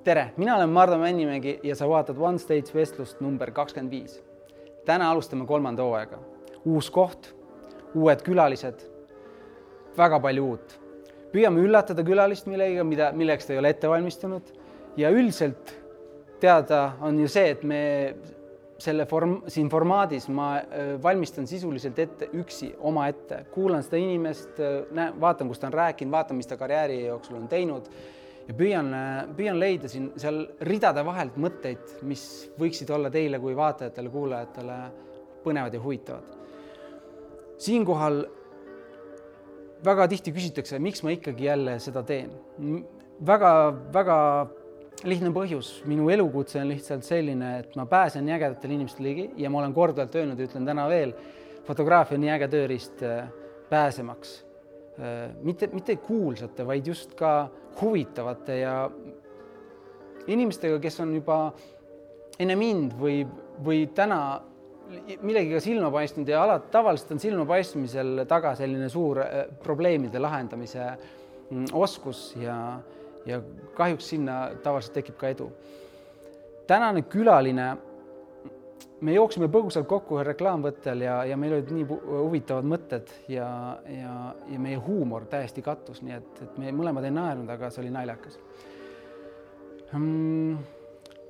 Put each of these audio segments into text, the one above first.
Tere, mina olen Mardo Männimägi ja sa vaatad One Stage vestlust number 25. Täna alustame 3. hooaega. Uus koht, uued külalised, väga palju uut. Püüame üllatada külalist millega, milleks ta ei ole ette valmistunud. Ja üldiselt teada on ju see, et me siin formaadis ma valmistan sisuliselt ette üksi oma ette. Kuulan seda inimest, vaatan, kus ta on rääkinud, vaatan, mis ta karjääri jooksul on teinud. Ja püüan leida siin seal ridade vahelt mõtteid, mis võiksid olla teile kui vaatajatele, kuulajatele põnevad ja huvitavad. Siinkohal väga tihti küsitakse, miks ma ikkagi jälle seda teen. Väga lihtne põhjus. Minu elukutse on lihtsalt selline, et ma pääsen nii ägedatele inimestele ligi ja ma olen korduvalt öelnud, ütlen täna veel, fotograafia on nii äge tööriist pääsemaks. Mitte kuulsate, vaid just ka huvitavate ja inimestega, kes on juba enne mind või täna millegiga silma paistnud ja tavaliselt on silma paistmisel taga selline suur probleemide lahendamise oskus ja kahjuks sinna tavaliselt tekib ka edu. Tänane külaline, me jooksime põgusalt kokku reklaamvõttel ja meil olid nii huvitavad mõtted ja meie huumor täiesti kattus, nii et me mõlemad ei naernud, aga see oli naljakas.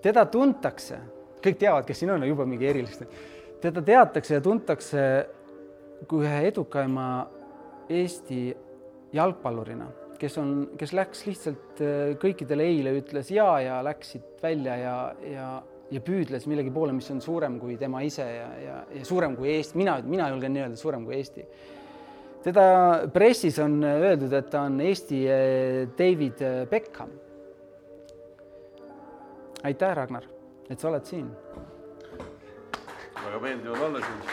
Teda tuntakse, kõik teavad, kes siin on juba mingi erilist. Teda teatakse ja tuntakse kui ühe edukaima Eesti jalgpallurina, kes läks lihtsalt kõikidele eile, ütles ja läksid välja ja püüdles millegi poole, mis on suurem kui tema ise ja suurem kui Eesti. Mina julgen nii öelda, suurem kui Eesti. Teda pressis on öeldud, et ta on Eesti David Beckham. Aitäh, Ragnar, et sa oled siin. Väga meeldivad olla siin.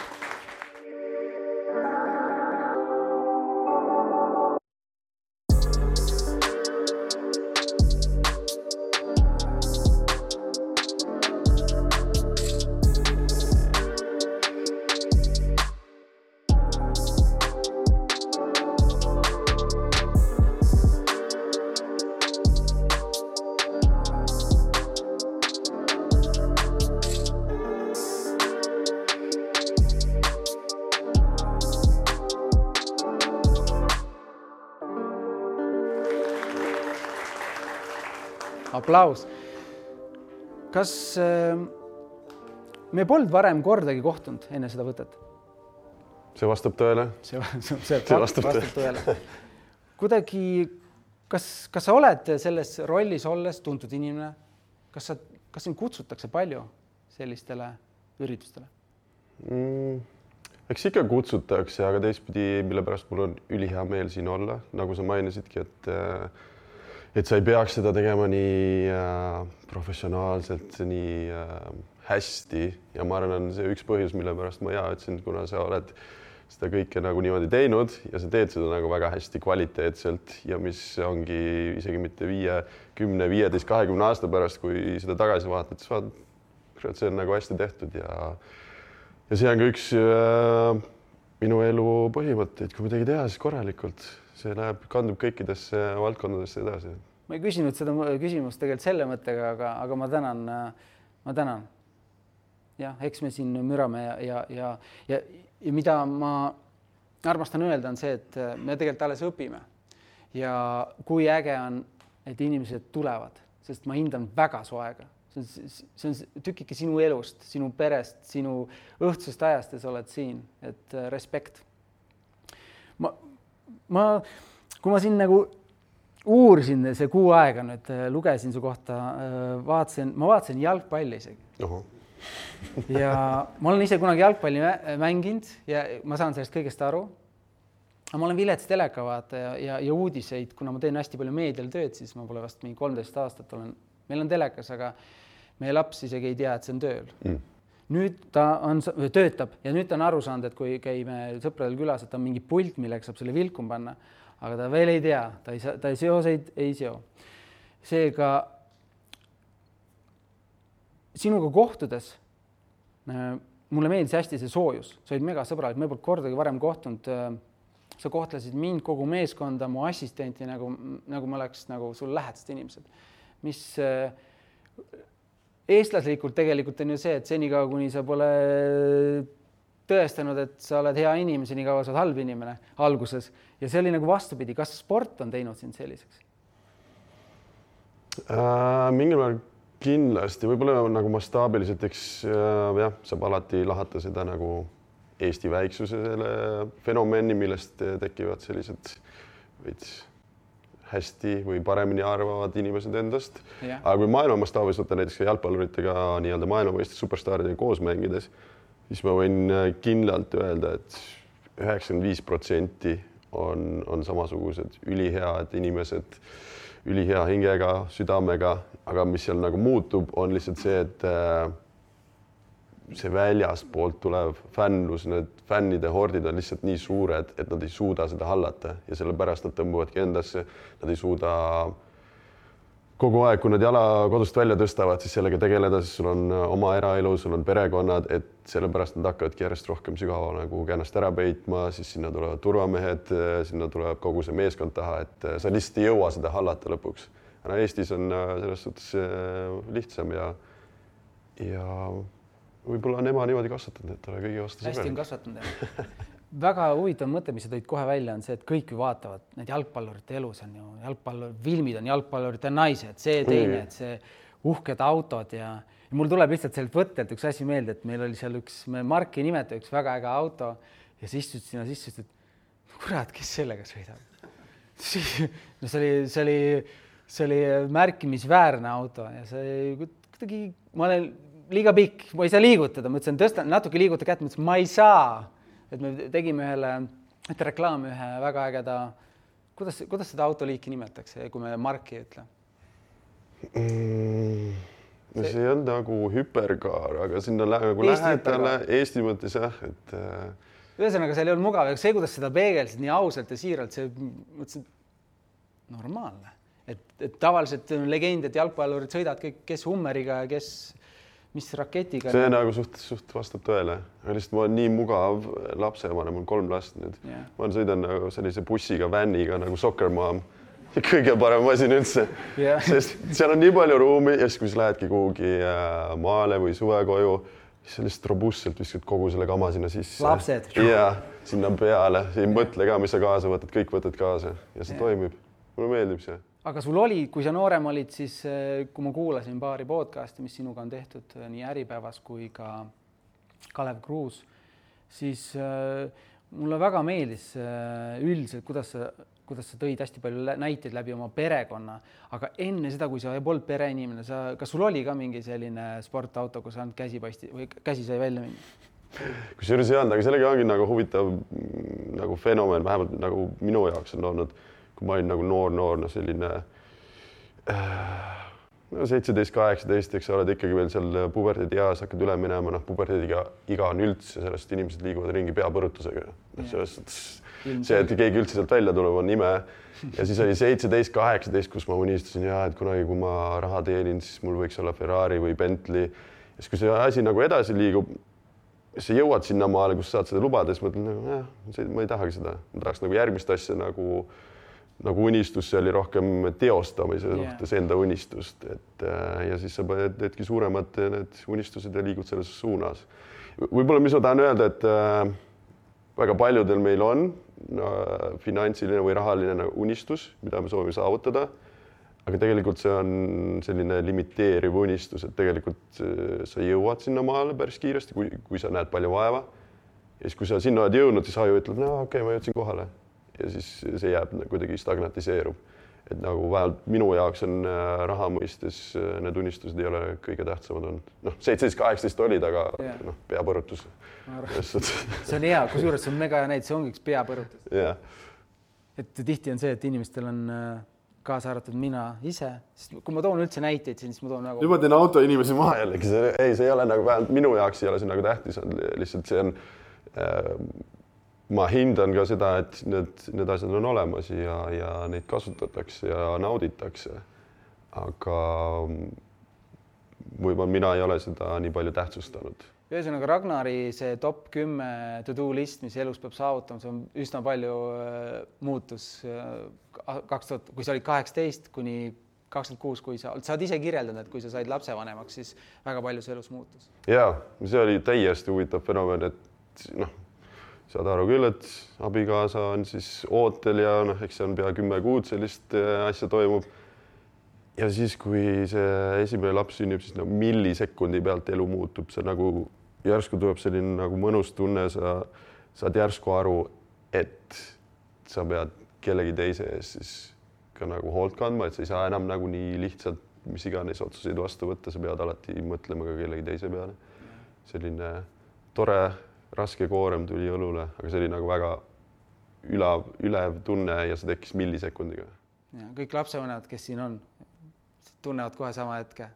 Aplaus. Kas me polnud varem kordagi kohtunud enne seda võtet? See vastab tõele. See vastab tõele. Kuidagi, kas sa oled selles rollis olles tuntud inimene? Kas sind kutsutakse palju sellistele üritustele? Eks ikka kutsutakse, aga teistpidi, mille pärast mul on ülihea meel siin olla. Nagu sa mainisidki, et sa ei peaks seda tegema nii professionaalselt, nii hästi ja ma arvan, see üks põhjus, mille pärast ma ütlesin, kuna sa oled seda kõike nagu niimoodi teinud ja sa teed seda nagu väga hästi kvaliteetselt ja mis ongi isegi mitte 5, 10, 15, 20 aasta pärast, kui seda tagasi vaatad, siis see on nagu hästi tehtud ja see on ka üks minu elu põhimõtteid, kui midagi teha, siis korralikult. See kandub kõikidesse valdkondadesse edasi. Ma ei küsinud seda küsimust tegelikult selle mõttega, aga ma tänan. Jah, eks me siin mürame ja mida ma armastan öelda on see, et me tegelikult alles õpime. Ja kui äge on, et inimesed tulevad, sest ma hindan väga su aega. See on tükike sinu elust, sinu perest, sinu õhtusest ajast ja sa oled siin, et respekt. Kui ma siin nagu uurisin see kuu aega nüüd, lugesin su kohta, ma vaatasin jalgpalli isegi. Ja ma olen ise kunagi jalgpalli mänginud ja ma saan sellest kõigest aru. Aga ma olen vilets telekavaataja ja uudiseid, kuna ma teen hästi palju meedial tööd, siis ma pole vast mingi 13 aastat olen. Meil on telekas, aga meie laps isegi ei tea, et see on tööl. Nüüd ta töötab ja nüüd ta on aru saanud, et kui käime sõpradel külas, et ta on mingi pult, millega saab selle vilkum panna, aga ta veel ei tea, ta ei seoseid ei seo. Seega sinuga kohtudes mulle meeldis hästi see soojus, sa olid mega sõbralik, me polnud kordagi varem kohtunud, sa kohtlesid mind, kogu meeskonda, mu assistenti, nagu me oleks nagu sul lähedased inimesed, mis eestlaslikult tegelikult on ju see, et senikaua, kuni sa pole tõestanud, et sa oled hea inimene, senikaua sa oled halb inimene alguses. Ja see oli nagu vastupidi. Kas sport on teinud sind selliseks? Mingil määral kindlasti, võib-olla nagu mastaabiliselt, eks saab alati lahata seda nagu Eesti väiksuse selle fenomeni, millest tekivad sellised veits hästi või paremini arvavad inimesed endast. Aga kui maailma mastaabis võtta näiteks jalgpalluritega nii-öelda maailmameistrite superstaaridega koos mängides, siis ma võin kindlalt öelda, et 95% on samasugused ülihead inimesed, ülihea hingega, südamega, aga mis seal nagu muutub, on lihtsalt see, et see väljaspoolt tulev fännlus, need fännide hordid on lihtsalt nii suured, et nad ei suuda seda hallata ja sellepärast nad tõmbuvadki endasse, nad ei suuda kogu aeg, kui nad jala kodust välja tõstavad, siis sellega tegeleda, siis sul on oma eraelu, sul on perekonnad, et sellepärast nad hakkavadki järjest rohkem sügavale nagu ennast ära peitma, siis sinna tulevad turvamehed, sinna tuleb kogu see meeskond taha, et sa lihtsalt ei jõua seda hallata lõpuks. Aga Eestis on selles suhtes lihtsam ja võib-olla on ema niimoodi kasvatanud, et ole kõigi vastu sõbralik. Hästi on kasvatanud. Väga huvitav mõte, mis sa tõid kohe välja, on see, et kõik ju vaatavad, need jalgpallurite elus on ju filmid on jalgpallurite naised, see teine, et see uhked autod ja mul tuleb lihtsalt sellelt võttelt üks asi meelde, et meil oli seal me Marki nimeta üks väga äge auto ja siis istud sinna sisse, et kurat, kes sellega sõidab? No see oli märkimisväärne auto ja see kuidagi, ma olen liiga pikk, ma ei saa liigutada, ma ütlesin, tõstan natuke liiguta kätt, ma ütlesin, ma ei saa. Et me tegime ühe reklaami ühe väga ägeda, kuidas seda autoliiki nimetakse, kui me Marki ütle? See on nagu hüperkaar, aga sinna nagu lähedale Eesti mõttes jah, et ühesõnaga, seal ei olnud mugav, aga see, kuidas seda peegelsid nii ausalt ja siiralt, see mõtlesin normaalne. Et tavaliselt on legend, et jalgpallurid sõidavad kõik, kes Hummeriga ja kes mis raketiga. See nagu suht vastab tõele. Lihtsalt ma olen nii mugav lapseemane, mul 3 last nüüd. Ma sõidan nagu sellise bussiga, vänniga nagu Soccer Mom. Kõige parem masin üldse. Sest seal on nii palju ruumi ja siis, kui sa lähedki kuhugi maale või suvekoju, siis lihtsalt robustselt viskad kogu selle kama sinna sisse. Lapsed. Ja sinna peale. Ei mõtle ka, mis sa kaasa võtad, kõik võtad kaasa ja see toimib. Mulle meeldib see. Aga sul oli, kui sa noorem olid, siis kui ma kuulasin paari podcasti, mis sinuga on tehtud nii Äripäevas kui ka Kalev Kruus, siis mulle väga meeldis üldiselt, kuidas sa tõid hästi palju näiteid läbi oma perekonna, aga enne seda, kui sa ei olnud pereinimene, kas sul oli ka mingi selline sportauto, kus ainult käsi sai välja minna? Kusjuures ei olnud, aga sellega ongi nagu huvitav nagu fenomen, vähemalt nagu minu jaoks on olnud, kui ma olin nagu noor, selline 17-18, eks sa oled ikkagi veel seal puberteedi eas, hakkad üle minema, puberteediga iga on üldse, sellest inimesed liiguvad ringi peapõrutusega. See, et keegi üldse sealt välja tuleb, on ime. Ja siis oli 17-18, kus ma unistasin, et kunagi, kui ma raha teenin, siis mul võiks olla Ferrari või Bentley. Ja siis, kui see asi nagu edasi liigub, sa jõuad sinna maale, kus saad seda lubada, siis mõtlen, ma ei tahagi seda. Ma tahaks nagu järgmist asja nagu unistus, see oli rohkem teostamise suhtes enda unistust, ja siis sa teedki suuremad need unistused ja liigud selles suunas. Võib-olla, mis ma tahan öelda, et väga paljudel meil on finantsiline või rahaline unistus, mida me soovime saavutada, aga tegelikult see on selline limiteeriv unistus, et tegelikult sa jõuad sinna maale päris kiiresti, kui sa näed palju vaeva. Ja siis, kui sa sinna oled jõudnud, siis aju ütleb, okei, ma jõudsin kohale. Ja siis see jääb kuidagi stagnatiseerub. Et nagu vähemalt minu jaoks on raha mõistes, need unistused ei ole kõige tähtsamad olnud. 17-18 olid, aga peapõrutus. See on hea, kusjuures see on mega hea näide, see ongi üks peapõrutus. Et tihti on see, et inimestel on kaasa arvatud mina ise. Kui ma toon üldse näiteid, siis ma toon nagu... Nüüd ma teen auto inimesi maha jällegi. See ei ole nagu vähemalt minu jaoks ei ole see nagu tähtis. Lihtsalt see on... Ma hindan ka seda, et need asjad on olemas ja neid kasutatakse ja nauditakse. Aga võib-olla mina ei ole seda nii palju tähtsustanud. Ühesõnaga Ragnari see top 10 to-do list, mis elus peab saavutama, see on üsna palju muutus. 2000, kui see oli 18 kuni 26, kui sa oled ise kirjeldanud, et kui sa said lapsevanemaks, siis väga palju see elus muutus. Jaa, see oli täiesti huvitav fenomen, et saad aru küll, et abikaasa on siis ootel ja eks see on pea 10 kuud sellist asja toimub. Ja siis, kui see esimene laps sünnib, siis millisekundi pealt elu muutub. See nagu järsku tuleb selline nagu mõnus tunne, sa saad järsku aru, et sa pead kellegi teise ees siis ka nagu hoolt kandma, et sa ei saa enam nagu nii lihtsalt mis iganes otsuseid vastu võtta, sa pead alati mõtlema ka kellegi teise peale. Selline tore, raske koorem tuli õlule, aga see oli nagu väga ülev tunne ja see tekkis millisekundiga. Ja, kõik lapsevanemad, kes siin on, tunnevad kohe sama hetke.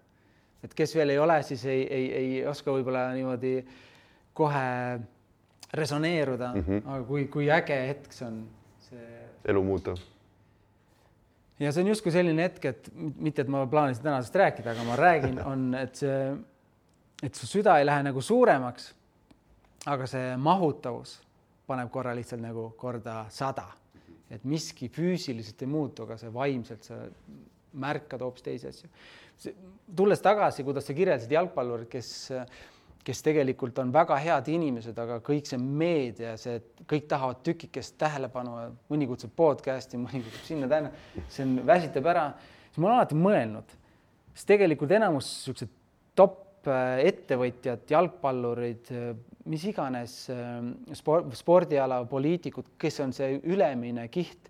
Et kes veel ei ole, siis ei oska võib-olla niimoodi kohe resoneeruda, aga kui äge hetk see on see... Elu muuta. Ja see on justkui selline hetk, et mitte, et ma plaanisin tänasest rääkida, aga ma räägin, on, et su süda ei lähe nagu suuremaks, aga see mahutavus paneb korra lihtsalt nagu korda 100. Et miski füüsiliselt ei muutu, aga see vaimselt sa märkad hoopis teisi asju. Tulles tagasi, kuidas sa kirjeldasid jalgpallurid, kes tegelikult on väga head inimesed, aga kõik see meedia, kõik tahavad tükikest tähelepanu, mõni kutsub podcasti, mõni kutsub sinna tänna, see on väsitab ära. Siis ma olen alati mõelnud, sest tegelikult enamus top ettevõtjad, jalgpallurid, mis iganes spordiala, poliitikud, kes on see ülemine kiht,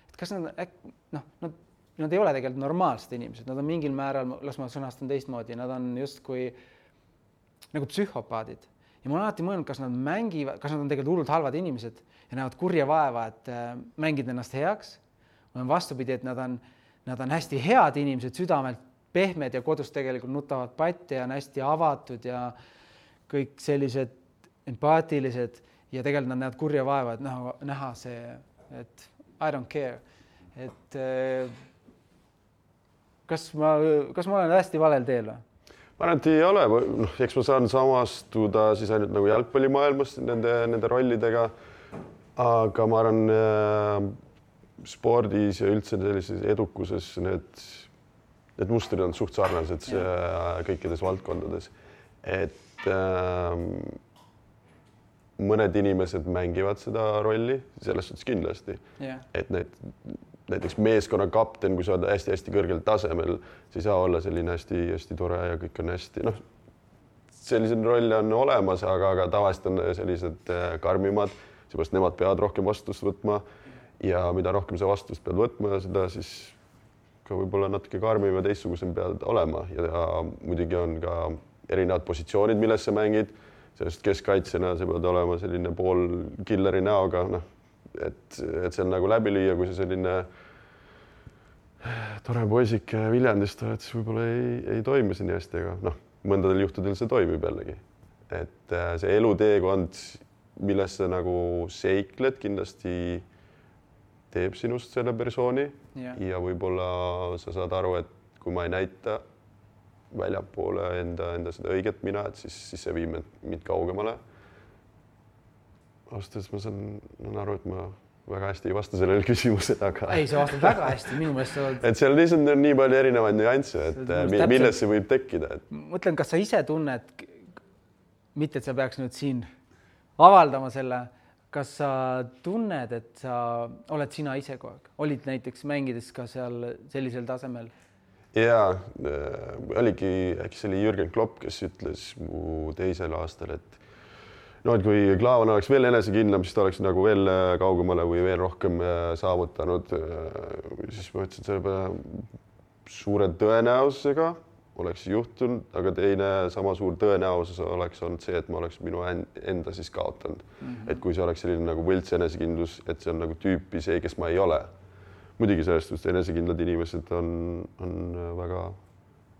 et kas nad ei ole tegelikult normaalsed inimesed, nad on mingil määral, las ma sõnastan teistmoodi, nad on justkui nagu psühhopaadid. Ja ma olen alati mõelnud, kas nad mängivad, kas nad on tegelikult hullult halvad inimesed ja näevad kurja vaeva, et mängid ennast heaks. Või on vastupidi, et nad on hästi head inimesed, südamelt pehmed ja kodus tegelikult nutavad patti ja on hästi avatud ja kõik sellised empaatilised ja tegelikult nad näevad kurja vaeva, et näha see, et I don't care. Et kas ma olen hästi valel teel või? Ma arvan, et ei ole. Eks ma saan samastuda siis ainult nagu jalgpallimaailmas nende rollidega, aga ma arvan spordis ja üldse sellises edukuses need mustrid on suht sarnased kõikides valdkondades. Et mõned inimesed mängivad seda rolli, selles suhtes kindlasti. Et näiteks meeskonna kapten, kui sa oled hästi-hästi kõrgel tasemel, siis ei saa olla selline hästi tore ja kõik on hästi. Sellised rolle on olemas, aga tavaliselt on sellised karmimad, seepärast nemad peavad rohkem vastust võtma ja mida rohkem sa vastust pead võtma, seda siis ka võib-olla natuke karmim ja teistsugusem pead olema ja muidugi on ka erinevad positsioonid, milles sa mängid, sellest keskkaitsena sa pead olema selline pool killeri näoga, et see on nagu läbi lüüa, kui see selline tore poisik Viljandist oled, siis võib-olla ei toimi see nii hästi, aga mõndadel juhtudel see toimib jällegi. Et see eluteekond, milles sa nagu seikled, kindlasti teeb sinust selle persooni ja võib-olla sa saad aru, et kui ma ei näita väljapoole enda seda õiget mina, et siis see viib mind kaugemale. Austes ma saan aru, et ma väga hästi ei vasta sellele küsimusele, aga... Ei, sa vastad väga hästi, minu meelest sa oled... Et seal lihtsalt on nii palju erinevaid nüansse, et milles see võib tekkida. Mõtlen, kas sa ise tunned, mitte et sa peaks nüüd siin avaldama selle, kas sa tunned, et sa oled sina ise kogu aeg? Olid näiteks mängides ka seal sellisel tasemel? Jaa, oligi, äkki see oli Jürgen Klopp, kes ütles mu teisel aastal, et kui Klaavan oleks veel enesekindlam, siis ta oleks nagu veel kaugemale või veel rohkem saavutanud. Siis ma ütlesin, et selle peale suure tõenäosusega oleks juhtunud, aga teine sama suur tõenäosus oleks olnud see, et ma oleks minu enda siis kaotanud. Et kui see oleks selline nagu võlts enesekindlus, et see on nagu tüüpi see, kes ma ei ole. Muidugi sellest, et enesekindlad inimesed on väga,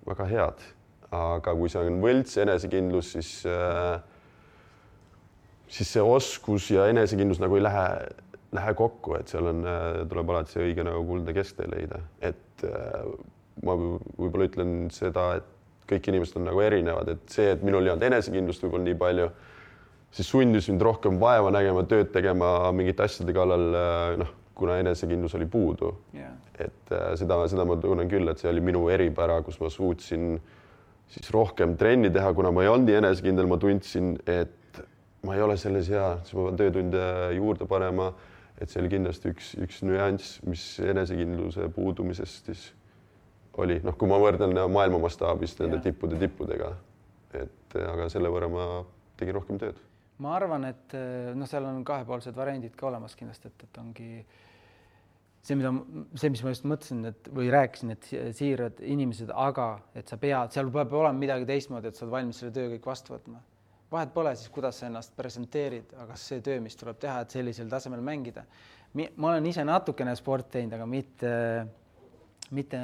väga head. Aga kui see on võlts enesekindlus, siis see oskus ja enesekindlus nagu ei lähe kokku, et seal tuleb alati see õige nagu kuldne kesktee leida. Et ma võib-olla ütlen seda, et kõik inimesed on nagu erinevad, et see, et minul ei olnud enesekindlust võib-olla nii palju, siis sundis mind rohkem vaeva nägema, tööd tegema mingite asjade kallal, kuna enesekindlus oli puudu. Et seda ma tunnen küll, et see oli minu eripära, kus ma suutsin siis rohkem trenni teha, kuna ma ei olnud nii enesekindel, ma tundsin, et ma ei ole selles hea, siis ma pean töötunde juurde panema, et see oli kindlasti üks nüanss, mis enesekindluse puudumisest siis oli. Noh, kui ma võrdlen maailma mastaabis nende tippudega, aga selle võrra ma tegin rohkem tööd. Ma arvan, et seal on kahepoolsed variandid ka olemas kindlasti, et ongi see, mis ma just mõtlesin, või rääkisin, et siirad inimesed, aga et sa pead, seal peab olema midagi teistmoodi, et sa oled valmis selle töö kõik vastu võtma. Vahet pole siis, kuidas sa ennast presenteerid, aga see töö, mis tuleb teha, et sellisel tasemel mängida. Ma olen ise natukene sport teinud, aga mitte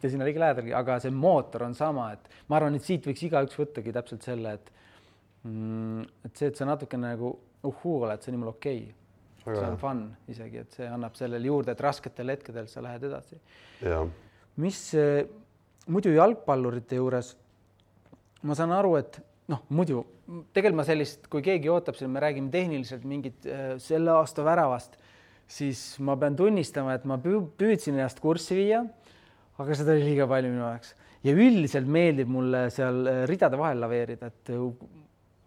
sinna liiga lähedalgi, aga see mootor on sama, et ma arvan, et siit võiks igaüks võttagi täpselt selle, et see, et sa natukene nagu oled, see on nimel okei. See on fun isegi, et see annab sellele juurde, et rasketel hetkedel sa lähed edasi. Ja. Mis muidu jalgpallurite juures, ma saan aru, et muidu tegelikult ma sellist, kui keegi ootab, me räägime tehniliselt mingit selle aasta väravast, siis ma pean tunnistama, et ma püüdsin ennast kurssi viia, aga seda oli liiga palju minu jaoks. Ja üldiselt meeldib mulle seal ridade vahel laveerida, et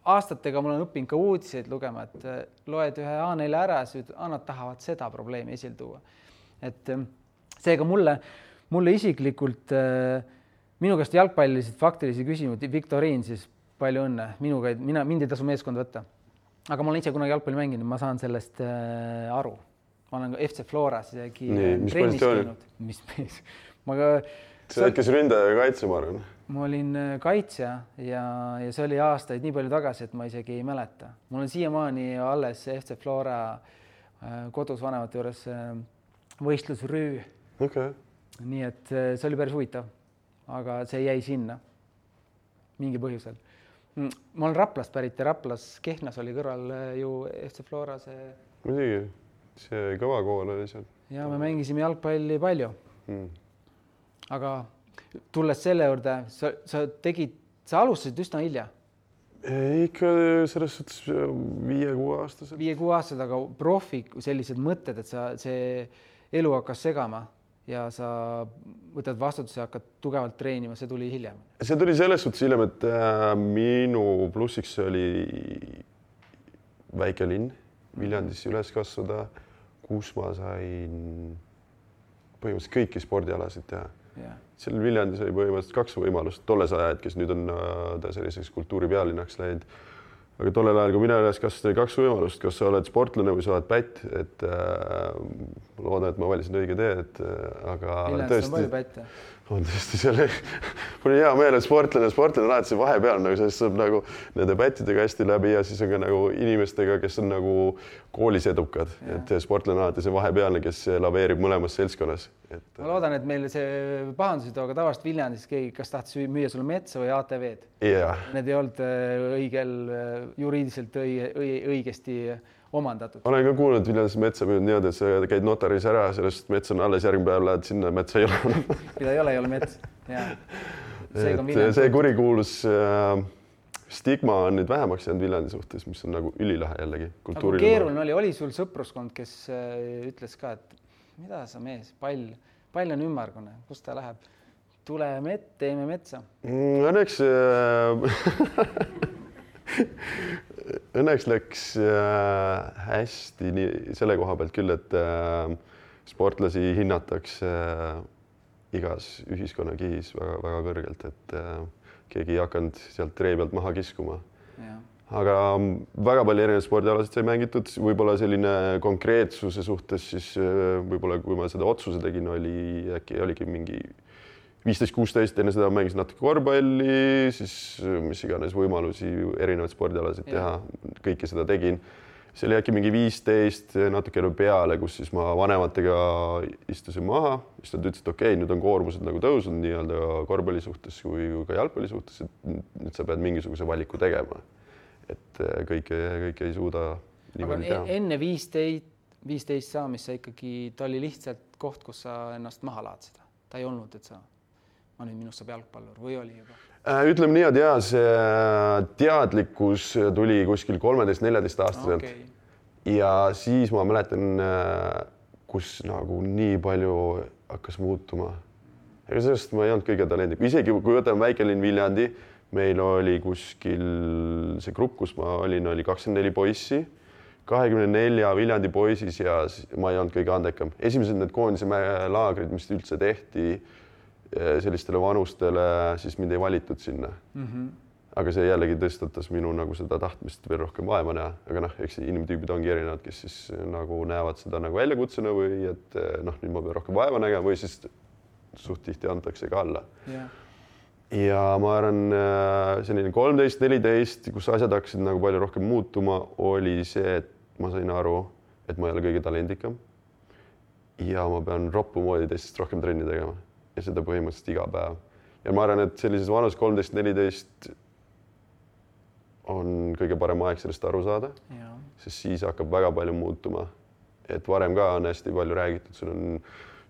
aastatega mul on õppinud ka uudiseid lugema, et loed ühe A4 ära ja nad tahavad seda probleemi esil tuua. Et seega mulle isiklikult minu käest jalgpalliliselt faktilisi küsimusi, Viktoriin siis palju õnne, mind ei tasu meeskond võtta. Aga ma olen ise kunagi jalgpalli mänginud, ma saan sellest aru. Ma olen ka FC Floras isegi trennis käinud. Mis mees? Sa oled kes ründaja ja kaitse, ma arvan. Ma olin kaitsja ja see oli aastaid nii palju tagasi, et ma isegi ei mäleta. Mul on siiamaani alles FC Flora kodus vanemate juures võistlusrüü. Okay. Nii et see oli päris huvitav, aga see jäi sinna mingi põhjusel. Ma olen Raplast pärit ja Raplas Kehnas oli kõrval ju FC Flora see. Muidugi, see kõva kool oli seal. Ja me mängisime jalgpalli palju. Aga tulles selle juurde, sa alustasid üsna hilja? Ikka selles suhtes 5-6 aastased. 5-6 aastased, aga profi sellised mõtted, et see elu hakkas segama ja sa võtad vastutuse ja hakkad tugevalt treenima, see tuli hiljem? See tuli selles suhtes hiljem, et minu plussiks oli väike linn, Viljandis üles kasvada, kus ma sain põhimõtteliselt kõiki spordialasid teha. Seal Viljandis oli põhimõtteliselt 2 võimalust tolles ajad, kes nüüd on ta selliseks kultuuripealinnaks läinud. Aga tollel ajal, kui mina üles kasvasin, 2 võimalust, kas sa oled sportlane või sa oled pätt, et loodan, et ma valisin õige tee, aga Viljandis on palju pätte. On tõesti selle, mul on hea meel, et sportlane alati see vahepeal, nagu sellest saab nagu nende pättidega hästi läbi ja siis on ka nagu inimestega, kes on nagu koolis edukad, et sportlane alati see vahepealne, kes laveerib mõlemas seltskonnas. Ma loodan, et meil see pahandusid, aga tavaliselt Viljandis keegi, kas tahtis müüa sulle metsa või ATV-d. Need ei olnud õigel juriidiliselt õigesti omandatud. Olen ka kuulnud, et Viljandis metsa müünud niimoodi, et sa käid notaris ära, sellest metsa on alles, järgmine päev lähed sinna, metsa ei ole. Mida ei ole mets. See kurikuulus stigma on nüüd vähemaks jäänud Viljandi suhtes, mis on nagu ülilahe jällegi. Aga keeruline oli sul sõpruskond, kes ütles ka, et mida sa mees, pall on ümmargune, kus ta läheb? Tule teeme metsa. Õnneks läks hästi selle koha pealt küll, et sportlasi hinnatakse igas ühiskonnakihis väga kõrgelt, et keegi ei hakanud sealt tree pealt maha kiskuma. Aga väga palju erinevaid spordialasid sai mängitud, võib-olla selline konkreetsuse suhtes, siis võib-olla kui ma seda otsuse tegin, oligi mingi 15-16, enne seda mängisin natuke korvpalli, siis mis iganes võimalusi erinevaid spordialasid teha, kõike seda tegin. See oli äkki mingi 15 natuke peale, kus siis ma vanematega istusin maha, siis nad ütlesid, okei, nüüd on koormused nagu tõusnud nii-öelda korvpalli suhtes kui ka jalgpalli suhtes, et nüüd sa pead mingisuguse valiku tegema. Et kõike ei suuda nii palju teha. Enne 15 saamist sa ikkagi, ta oli lihtsalt koht, kus sa ennast maha laad seda. Ta ei olnud, et ma nüüd minust saab jalgpallur või oli juba? Ütleme nii, et see teadlikkus tuli kuskil 13-14 aastaselt. ja siis ma mäletan, kus nagu nii palju hakkas muutuma. Ega sellest ma ei olnud kõige talendikum. Isegi kui võtame väikelinn Viljandi, meil oli kuskil see grupp, kus ma olin, oli 24 poissi, 24 Viljandi poisis ja ma ei olnud kõige andekam. Esimesed need koondise laagrid, mis üldse tehti sellistele vanustele, siis mind ei valitud sinna. Aga see jällegi tõstatas minu nagu seda tahtmist veel rohkem vaeva näha. Aga eks inimtüübid ongi erinevad, kes siis nagu näevad seda nagu väljakutsena või et nüüd ma pean rohkem vaeva nägema või siis suht tihti antakse ka alla. Ja ma arvan, selline 13-14, kus asjad hakkasid nagu palju rohkem muutuma, oli see, et ma sain aru, et ma ei ole kõige talendikam ja ma pean roppu moodi teistest rohkem trenni tegema ja seda põhimõtteliselt iga päev. Ja ma arvan, et sellises vanus 13-14 on kõige parem aeg sellest aru saada, sest siis hakkab väga palju muutuma. Et varem ka on hästi palju räägitud, sul on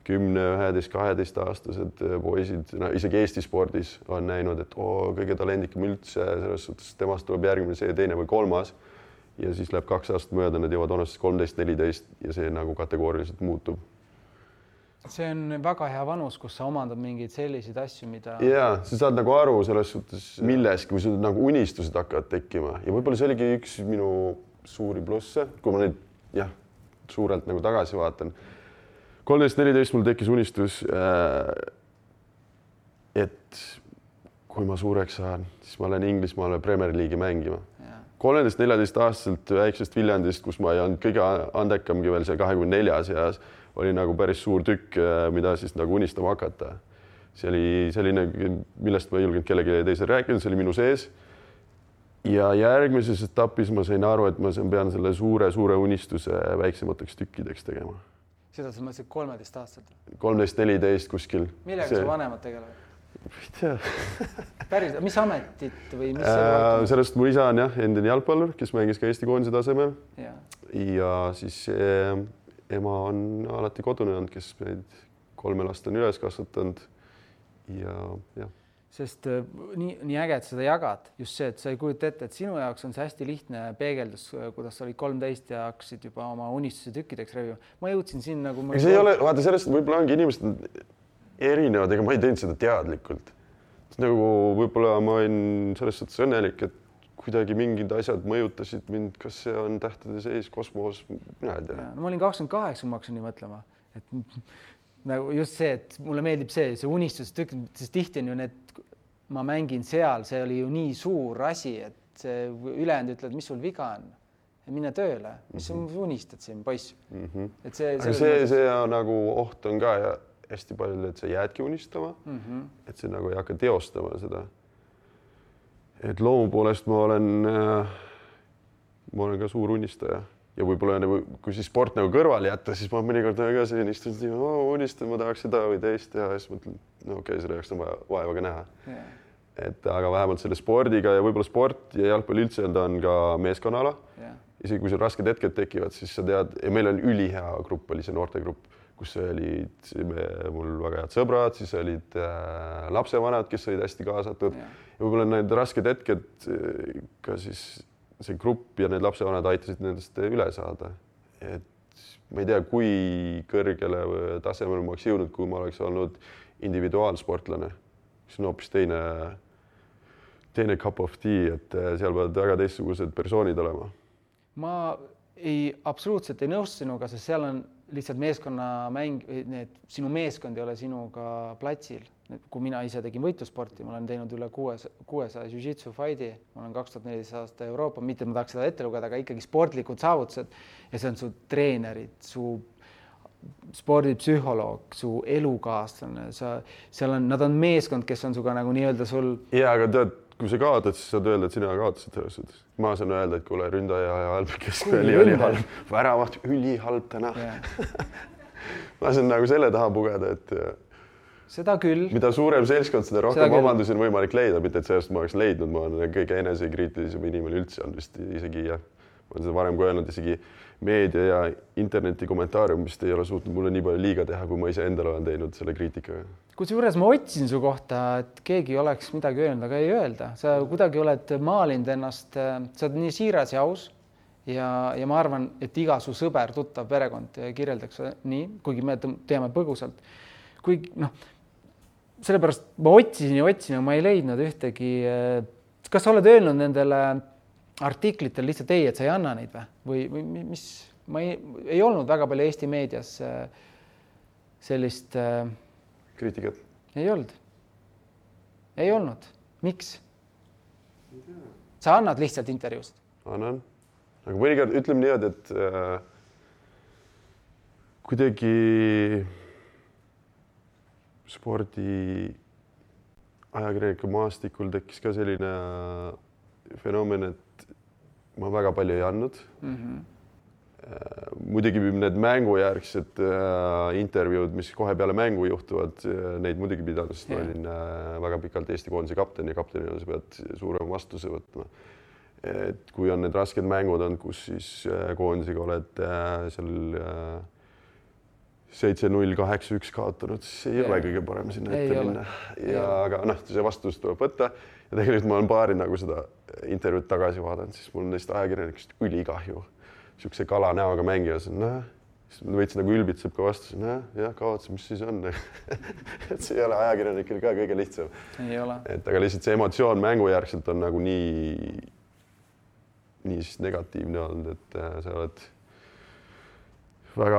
10, 11, 12 aastased poisid, isegi Eesti spordis on näinud, et kõige talendikam üldse, selles suhtes temast tuleb järgmine, see teine või kolmas ja siis läheb 2 aastat mööda, nad jõuavad vanusest 13-14 ja see nagu kategooriliselt muutub. See on väga hea vanus, kus sa omandad mingeid selliseid asju, mida... Jaa, sa saad nagu aru selles suhtes milleski, kui sul nagu unistused hakkavad tekkima ja võib-olla see oligi üks minu suuri plusse, kui ma neid suurelt nagu tagasi vaatan. 13-14 mul tekkis unistus, et kui ma suureks saan, siis ma lähen Inglismaale Premier League'i mängima. 13-14 aastaselt väiksest Viljandist, kus ma ei olnud kõige andekamgi veel see 24 seas, oli nagu päris suur tükk, mida siis nagu unistama hakata. See oli selline, millest ma ei julgenud kellegi teisel rääkida, see oli minu sees. Ja järgmises etapis ma sain aru, et ma pean selle suure unistuse väiksemateks tükkideks tegema. Seda sa mõtlesid 13 aastaselt? 13-14 kuskil. Millega sa vanemad tegelevad? Ei tea. Päris, mis ametit või mis sellest mu isa on endine jalgpallur, kes mängis ka Eesti koondise tasemel. Ja siis ema on alati kodune olnud, kes meid 3 last on üles kasvatanud ja. Sest nii äge, et seda jagad. Just see, et sa ei kujuta ette, et sinu jaoks on see hästi lihtne peegeldus, kuidas sa olid 13 ja hakkasid juba oma unistuse tükkideks revima. Ma jõudsin siin nagu... See ei ole, vaata sellest võib-olla ongi inimesed erinevad, ega ma ei teinud seda teadlikult. Nagu võib-olla ma olin selles suhtes õnnelik, et kuidagi mingid asjad mõjutasid mind, kas see on tähtede seis, kosmos, mina ei tea. No ma olin 28, ma hakkasin nii mõtlema, et nagu just see, et mulle meeldib see unistustükk, sest tihti on ju need, ma mängin seal, see oli ju nii suur asi, et see ülejäänud ütled, mis sul viga on ja mine tööle, mis sa unistad siin, poiss. Et see nagu oht on ka ja hästi palju, et sa jäädki unistama, et see nagu ei hakka teostama seda. Et loomu poolest ma olen ka suur unistaja ja võib-olla kui siis sport nagu kõrvale jätta, siis ma mõnikord ka selline istun, unistan, ma tahaks seda või teist teha ja siis mõtlen, okei, selle jaoks on vaeva ka näha. Et aga vähemalt selle spordiga ja võib-olla sport ja jalgpall üldse on ka meeskonnaala. Isegi kui sul rasked hetked tekivad, siis sa tead, ja meil on ülihea grupp, oli see noortegrupp, kus olid mul väga head sõbrad, siis olid lapsevanad, kes olid hästi kaasatud. Ja võib-olla need rasked hetked ka siis see grupp ja need lapsevanad aitasid nendest üle saada. Et ma ei tea, kui kõrgele tasemel ma oleks jõudnud, kui ma oleks olnud individuaalsportlane. See on hoopis teine cup of tea, et seal peavad väga teistsugused persoonid olema. Ma absoluutselt ei nõustu sinuga, sest seal on lihtsalt meeskonnamäng, sinu meeskond ei ole sinuga platsil. Kui mina ise tegin võitlusporti, ma olen teinud üle 600 jiu-jitsu fighti, ma olen 2014 aasta Euroopa, mitte ma tahaks seda ette lugeda, aga ikkagi sportlikud saavutused ja see on su treenerid, su spordipsühholoog, su elukaaslane, nad on meeskond, kes on suga nagu nii-öelda sul... Ja, aga tead, kui sa kaotad, siis saad öelda, et sina kaotasid selles suhtes. Ma saan öelda, et kuule, ründaja ja halb, kes oli halb. Väravat ülihalb täna. Ma saan nagu selle taha pugeda, et seda küll. Mida suurem seltskond, seda rohkem vabandusi on võimalik leida, mitte et sellest ma oleks leidnud. Ma olen kõige enesekriitilisem inimene üldse on vist isegi ja ma olen seda varem kui öelnud, isegi meedia ja interneti kommentaariumist ei ole suutnud mulle nii palju liiga teha, kui ma ise endale olen teinud selle kriitikaga. Kusjuures ma otsin su kohta, et keegi oleks midagi öelnud, aga ei öelda. Sa kuidagi oled maalinud ennast, sa oled nii siiras ja aus ja ma arvan, et iga su sõber, tuttav, perekond kirjeldaks nii, kuigi me teame põgusalt. Kuigi sellepärast ma otsisin ja otsisin, aga ma ei leidnud ühtegi. Kas sa oled öelnud nendele artiklitel lihtsalt ei, et sa ei anna neid või mis? Ma ei olnud väga palju Eesti meedias sellist kriitikat. Ei olnud. Miks? Sa annad lihtsalt intervjuust? Annan. Aga mõnikord ütleme nii, et kuidagi spordi ajakirjaniku maastikul tekkis ka selline fenomen, et ma väga palju ei andnud. Muidugi need mängujärgsed intervjuud, mis kohe peale mängu juhtuvad, neid muidugi pidanud, sest ma olin väga pikalt Eesti koondise kapten ja kaptenina sa pead suurema vastuse võtma. Et kui on need rasked mängud on, kus siis koondisega oled seal 7-0, 8-1 kaotanud, siis ei ole kõige parem sinna ette minna. Aga see vastus tuleb võtta ja tegelikult ma olen paari nagu seda intervjuud tagasi vaadanud, siis mul on neist ajakirjanikust ülikahju. Siukse kala näoga mängijas, võits nagu ülbitseb ka vastus, kavatse, mis siis on. Et see ei ole ajakirjanikil ka kõige lihtsam. Ei ole. Et aga lihtsalt see emotsioon mängujärgselt on nagu nii siis negatiivne olnud, et sa oled väga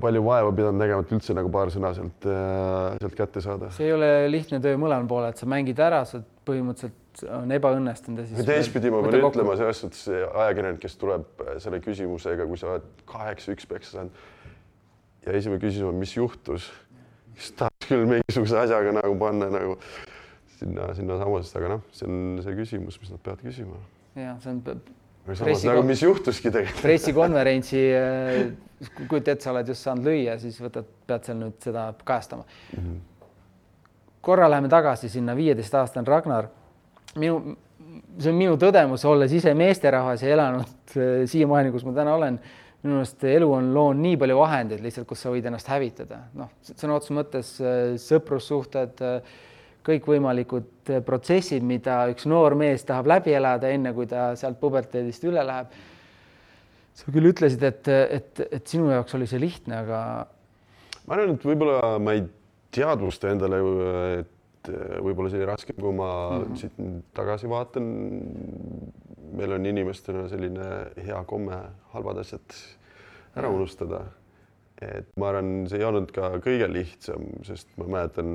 palju vaeva pidanud nägema, et üldse nagu paar sõna sealt kätte saada. See ei ole lihtne töö mõlemal poole, et sa mängid ära, sa põhimõtteliselt on ebaõnnestunud. Teistpidi ma pean ütlema selles suhtes ajakirjanik, kes tuleb selle küsimusega, kui sa oled 8-1 peksa saanud ja esimene küsimus on, mis juhtus, siis tahaks küll mingisuguse asjaga nagu panna nagu sinna samasest, aga see on see küsimus, mis nad peavad küsima. Ja, see on samas nagu mis juhtuski tegelikult. Pressikonverentsi, kui sa oled just saanud lüüa, siis pead seal nüüd seda kajastama. Korra läheme tagasi sinna 15-aastane Ragnar. See on minu tõdemus, olles ise meesterahvas ja elanud siiamaani, kus ma täna olen. Minu meelest elu on loonud nii palju vahendeid lihtsalt, kus sa võid ennast hävitada. Sõna otseses mõttes sõprussuhted, kõik võimalikud protsessid, mida üks noor mees tahab läbi elada enne, kui ta sealt puberteedist üle läheb. Sa küll ütlesid, et sinu jaoks oli see lihtne, aga... Ma arvan, et võib-olla ma ei teadvusta endale, et võib-olla see oli raske, kui ma siit tagasi vaatan. Meil on inimestena selline hea komme halvad asjad ära unustada. Et ma arvan, see ei olnud ka kõige lihtsam, sest ma mäletan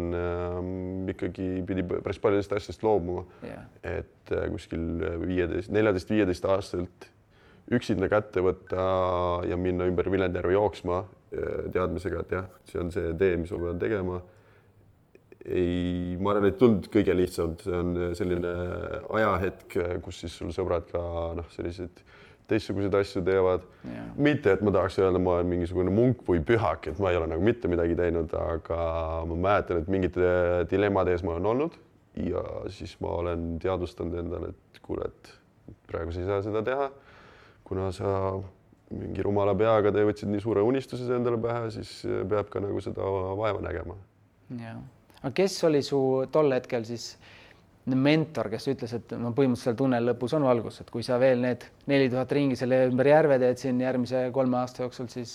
ikkagi pidi päris paljudest asjast loobuma. Et kuskil 14-15 aastaselt üksinda kätte võtta ja minna ümber Viljandjärve jooksma teadmisega, et jah, see on see tee, mis ma pean tegema. Ma arvan, et tund kõige lihtsam, see on selline ajahetk, kus siis sul sõbrad ka sellised teistsuguseid asju teevad. Mitte, et ma tahaks öelda, ma olen mingisugune munk või pühak, et ma ei ole nagu mitte midagi teinud, aga ma mäletan, et mingite dilemmade ees ma olen olnud ja siis ma olen teadvustanud endale, et kuule, et praegu sa ei saa seda teha, kuna sa mingi rumala peaga te võtsid nii suure unistuse endale pähe, siis peab ka nagu seda vaeva nägema. Aga kes oli su tol hetkel siis mentor, kes ütles, et põhimõtteliselt tunnel lõpus on valgus, et kui sa veel need 4000 ringi selle ümber järve teed siin järgmise 3 aasta jooksul, siis...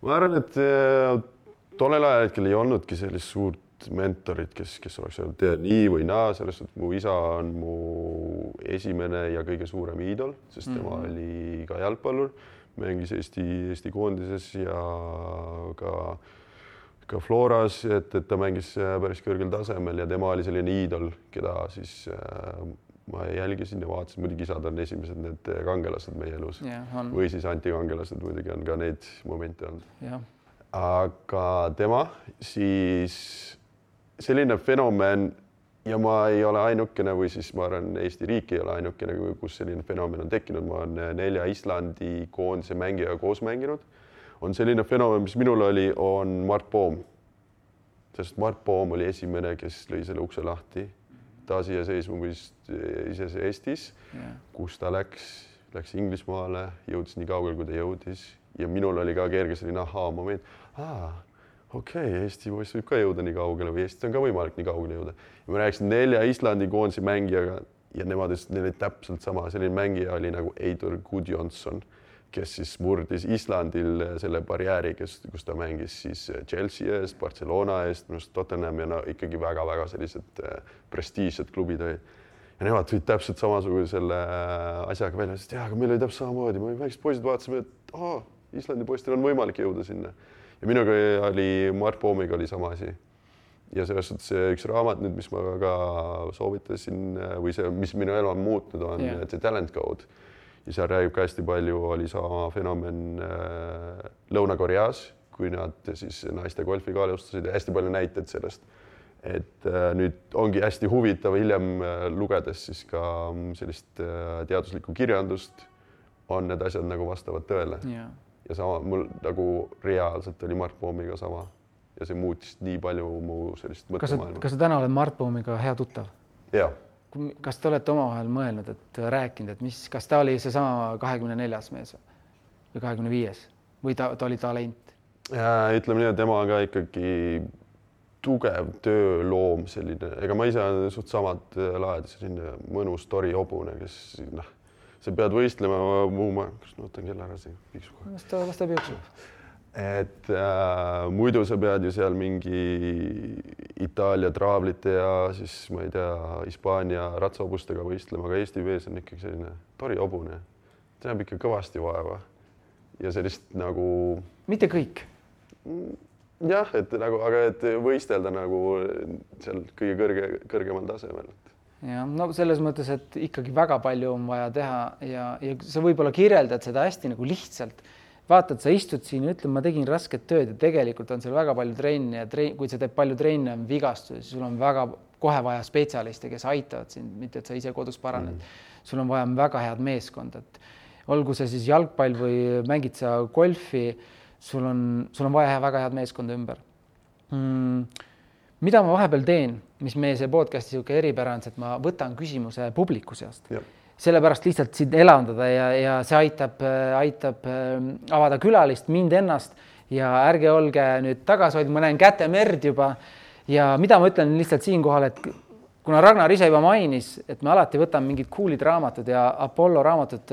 Ma arvan, et tollel ajal hetkel ei olnudki sellist suurt mentorit, kes oleks öelnud nii või naa, sellest, et mu isa on mu esimene ja kõige suurem iidol, sest tema oli ka jalgpallur, mängis Eesti koondises ja ka Floras, et ta mängis päris kõrgel tasemel ja tema oli selline iidol, keda siis ma jälgisin ja vaatasin, muidugi isad on esimesed need kangelased meie elus või siis antikangelased, muidugi on ka neid momente olnud. Aga tema siis selline fenomen ja ma ei ole ainukene või siis ma arvan, Eesti riik ei ole ainukene, kus selline fenomen on tekkinud. Ma olen 4 Islandi koondise mängijaga koos mänginud. On selline fenomen, mis minul oli, on Mart Poom. Sest Mart Poom oli esimene, kes lõi selle ukse lahti. Taasiseseisvumist Eestis, kus ta läks Inglismaale, jõudis nii kaugel, kui ta jõudis. Ja minul oli ka kerge selline moment. Eesti poiss võib ka jõuda nii kaugele või Eestis on ka võimalik nii kaugele jõuda. Ja ma rääkisin 4 Islandi koondise mängijaga ja neil oli täpselt sama. Selline mängija oli nagu Eidur Gudjonsson, kes siis murdis Islandil selle barjääri, kus ta mängis siis Chelsea eest, Barcelona eest, minu arust Tottenham ja ikkagi väga-väga sellised prestiižsed klubid olid. Ja nemad tulid täpselt samasuguse selle asjaga välja, sest aga meil oli täpselt samamoodi, me väiksed poisid vaatasime, et Islandi poistel on võimalik jõuda sinna. Ja minuga oli, Mart Poomiga oli sama asi. Ja selles suhtes üks raamat nüüd, mis ma ka soovitasin või see, mis minu elu on muutnud, on The Talent Code. Ja seal räägib ka hästi palju, oli sama fenomen Lõuna-Koreas, kui nad siis naiste golfi ka alustasid ja hästi palju näiteid sellest. Et nüüd ongi hästi huvitav hiljem lugedes siis ka sellist teaduslikku kirjandust, on need asjad nagu vastavad tõele. Ja sama mul nagu reaalselt oli Mart Poomiga sama ja see muutis nii palju mu sellist mõttemaailma. Kas sa täna oled Mart Poomiga hea tuttav? Jaa. Kas te olete omavahel mõelnud, et rääkinud, et kas ta oli see sama 24. mees või 25. või ta oli talent? Ütleme nii, et tema on ka ikkagi tugev tööloom selline, ega ma ise olen suht samad laed, selline mõnus tori hobune, kes sa pead võistlema kas nootan kella ära siin piiksub. Las ta piiksub. Et muidu sa pead ju seal mingi Itaalia traavlite ja siis ma ei tea, Hispaania ratsahobustega võistlema, aga Eesti vees on ikkagi selline tori hobune. See näeb ikka kõvasti vaeva ja sellist nagu... Mitte kõik. Jah, et nagu, aga et võistelda nagu seal kõige kõrgemal tasemel. Ja, no selles mõttes, et ikkagi väga palju on vaja teha ja sa võib-olla kirjeldad seda hästi nagu lihtsalt. Vaatad, sa istud siin ja ütled, ma tegin rasket tööd ja tegelikult on seal väga palju trenni ja kui sa teed palju trenni, on vigastusi, sul on väga kohe vaja spetsialiste, kes aitavad sind, mitte et sa ise kodus paraned. Sul on vaja väga head meeskond, et olgu see siis jalgpall või mängid sa golfi, sul on vaja väga head meeskonda ümber. Mida ma vahepeal teen, mis meie see podcasti siuke eripära on, et ma võtan küsimuse publiku seast. Sellepärast lihtsalt siin elandada ja see aitab avada külalist, mind ennast ja ärge olge nüüd tagasihoid, ma näen käte merd juba ja mida ma ütlen lihtsalt siinkohal, et kuna Ragnar ise juba mainis, et me alati võtame mingid coolid raamatud ja Apollo raamatud,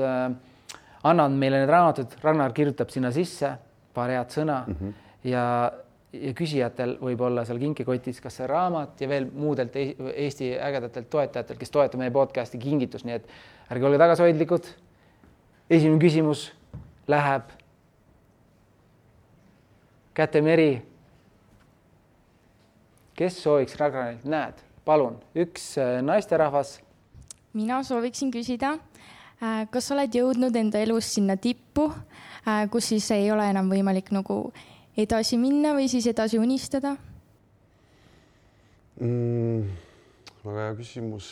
annan meile need raamatud, Ragnar kirjutab sinna sisse paar head sõna ja küsijatel võib olla seal kinkikotis kas see raamat ja veel muudelt Eesti ägedatelt toetajatel, kes toetab meie podcasti kingitus, nii et ärge olge tagasihoidlikud. Esimene küsimus läheb Käte Meri. Kes sooviks Ragnarilt? Näed, palun, üks naisterahvas. Mina sooviksin küsida, kas oled jõudnud enda elus sinna tippu, kus siis ei ole enam võimalik nagu edasi minna või siis edasi unistada? Väga hea küsimus.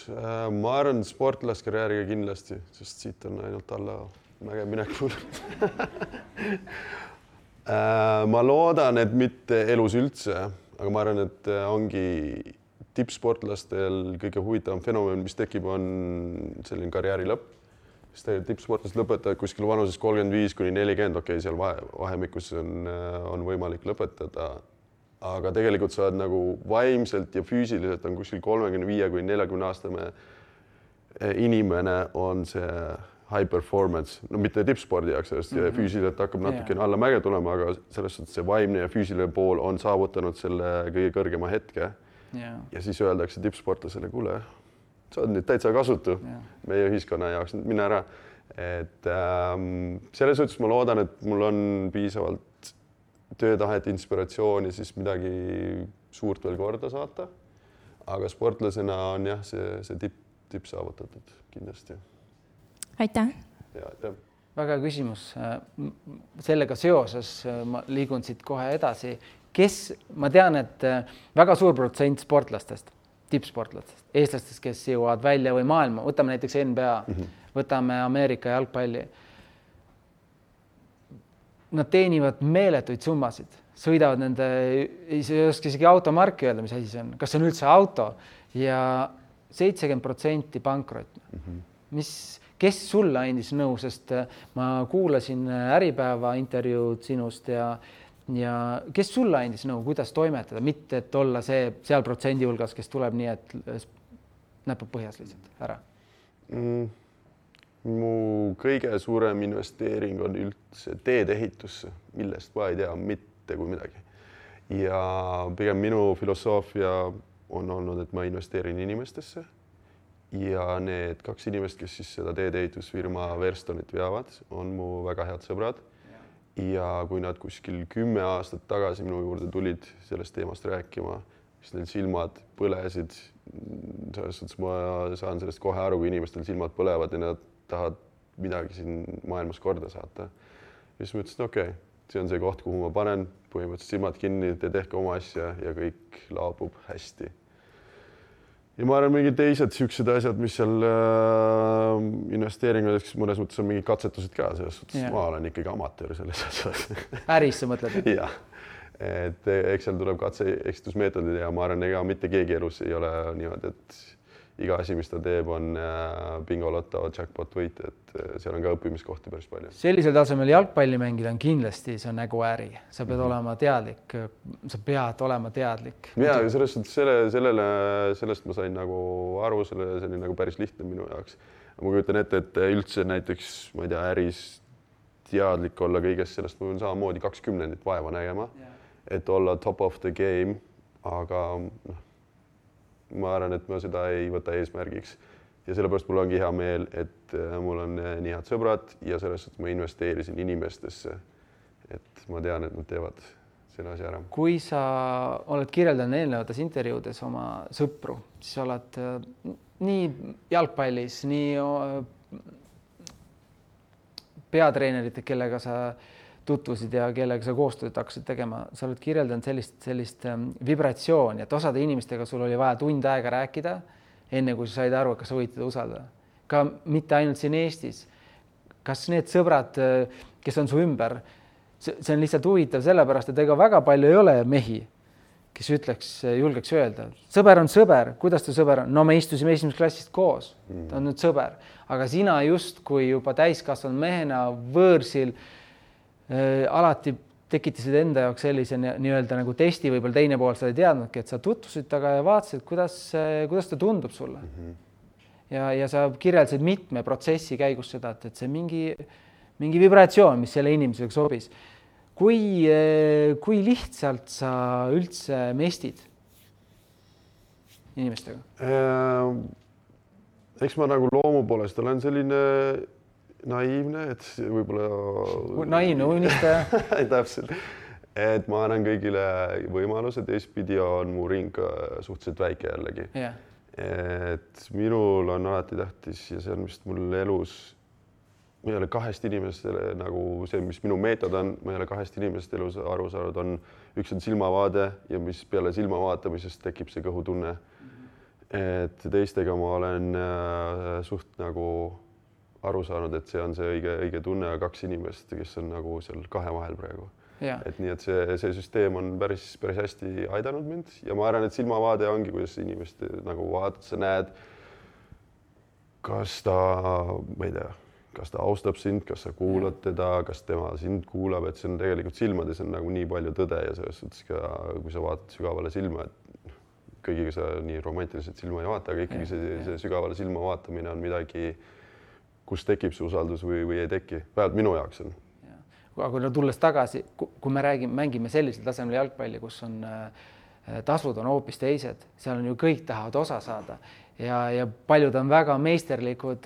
Ma arvan sportlaskarjääriga kindlasti, sest siit on ainult alla mäge minekul. Ma loodan, et mitte elus üldse, aga ma arvan, et ongi tippsportlastel kõige huvitavam fenomen, mis tekib, on selline karjääri lõpp. Tippsportlased lõpetavad kuskil vanuses 35–40, okei, seal vahemikus on võimalik lõpetada, aga tegelikult sa oled nagu vaimselt ja füüsiliselt on kuskil 35–40 aastane inimene on see high performance, no mitte tippspordi jaoks, sellest füüsiliselt hakkab natukene alla mäge tulema, aga selles suhtes see vaimne ja füüsiline pool on saavutanud selle kõige kõrgema hetke ja siis öeldakse tippsportlasele, kuule, sa oled nüüd täitsa kasutu meie ühiskonna jaoks, mine ära. Et selles suhtes ma loodan, et mul on piisavalt töötahet, inspiratsiooni siis midagi suurt veel korda saata. Aga sportlasena on jah, see tipp saavutatud kindlasti. Aitäh! Väga küsimus. Sellega seoses ma liigun siit kohe edasi. Ma tean, et väga suur protsent sportlastest, tippsportlastest, eestlastest, kes jõuavad välja või maailma, võtame näiteks NBA, võtame Ameerika jalgpalli. Nad teenivad meeletuid summasid, sõidavad nende, ei oska isegi automarki öelda, mis asi see on, kas see on üldse auto ja 70% pankrot. Kes sulle andis nõu, sest ma kuulasin Äripäeva intervjuud sinust ja kes sulle andis nõu, kuidas toimetada, mitte et olla seal protsendi hulgas, kes tuleb nii, et näpab põhjas lihtsalt ära? mu kõige suurem investeering on üldse teedehitusse, millest ma ei tea mitte kui midagi. Ja pigem minu filosoofia on olnud, et ma investeerin inimestesse ja need 2 inimest, kes siis seda teedehitusfirma Verstonit veavad, on mu väga head sõbrad. Ja kui nad kuskil 10 aastat tagasi minu juurde tulid sellest teemast rääkima, siis neil silmad põlesid. Selles suhtes ma saan sellest kohe aru, kui inimestel silmad põlevad ja nad tahavad midagi siin maailmas korda saata. Ja siis ma ütlesin, okei, see on see koht, kuhu ma panen põhimõtteliselt silmad kinni, te tehke oma asja ja kõik laabub hästi. Ja ma arvan, mingid teised siuksed asjad, mis seal investeeringudes mõnes mõttes on mingid katsetused ka, selles suhtes ma olen ikkagi amatöör selles asjas. Äris sa mõtled? Jah, et eks seal tuleb katse-eksitusmeetodid ja ma arvan, ega mitte keegi elus ei ole niimoodi, et iga asi, mis ta teeb, on bingoloto, jackpot võit, et seal on ka õppimiskohti päris palju. Sellisel tasemel jalgpalli mängida on kindlasti, see on nagu äri. Sa pead olema teadlik, Ja selles suhtes sellest ma sain nagu aru, see oli nagu päris lihtne minu jaoks. Ma kujutan ette, et üldse näiteks, ma ei tea, äris teadlik olla kõigest sellest, ma pean samamoodi 20 vaeva nägema, et olla top of the game, aga ma arvan, et ma seda ei võta eesmärgiks ja sellepärast mul ongi hea meel, et mul on nii head sõbrad ja selles, et ma investeerisin inimestesse, et ma tean, et nad teevad selle asja ära. Kui sa oled kirjeldanud eelnevates intervjuudes oma sõpru, siis oled nii jalgpallis, nii peatreenerid, kellega sa tutvusid ja kellega sa koostööd hakkasid tegema, sa oled kirjeldanud sellist vibratsiooni, et osade inimestega sul oli vaja tund aega rääkida, enne kui sa said aru, kas sa võid teda usaldada. Ka mitte ainult siin Eestis. Kas need sõbrad, kes on su ümber, see on lihtsalt huvitav sellepärast, et ega väga palju ei ole mehi, kes julgeks öelda. Sõber on sõber, kuidas ta sõber on? No me istusime esimeses klassist koos, ta on nüüd sõber. Aga sina just, kui juba täiskasvanud mehena võõrsil alati tekitasid enda jaoks sellise nii-öelda nagu testi, võib-olla teine pool sa ei teadnudki, et sa tutvusid taga ja vaatasid, kuidas ta tundub sulle. Ja sa kirjeldasid mitme protsessi käigus seda, et see mingi vibratsioon, mis selle inimesega sobis. Kui lihtsalt sa üldse mestid inimestega? Eks ma nagu loomu poolest olen selline naiivne, et võib-olla naiivne unistaja. Täpselt, et ma annan kõigile võimaluse, teistpidi on mu ring suhteliselt väike jällegi. Et minul on alati tähtis ja see on vist mul elus, ma ei ole 2 inimestele nagu see, mis minu meetod on, ma ei ole 2 inimest elus aru saanud, on üks on silmavaade ja mis peale silma vaatamisest tekib see kõhutunne. Et teistega ma olen suht nagu aru saanud, et see on see õige tunne ja 2 inimest, kes on nagu seal 2 vahel praegu. Et nii, et see süsteem on päris hästi aidanud mind ja ma arvan, et silmavaade ongi, kuidas inimest nagu vaatad, sa näed, kas ta, ma ei tea, kas ta austab sind, kas sa kuulad teda, kas tema sind kuulab, et see on tegelikult silmades on nagu nii palju tõde ja selles suhtes ka, kui sa vaatad sügavale silma, et kõigiga sa nii romantiliselt silma ei vaata, aga ikkagi see sügavale silma vaatamine on midagi, kus tekib see usaldus või ei teki. Vähemalt minu jaoks on. Aga kui tulles tagasi, kui me mängime sellisel tasemel jalgpalli, kus on tasud on hoopis teised, seal on ju kõik tahavad osa saada ja paljud on väga meisterlikud.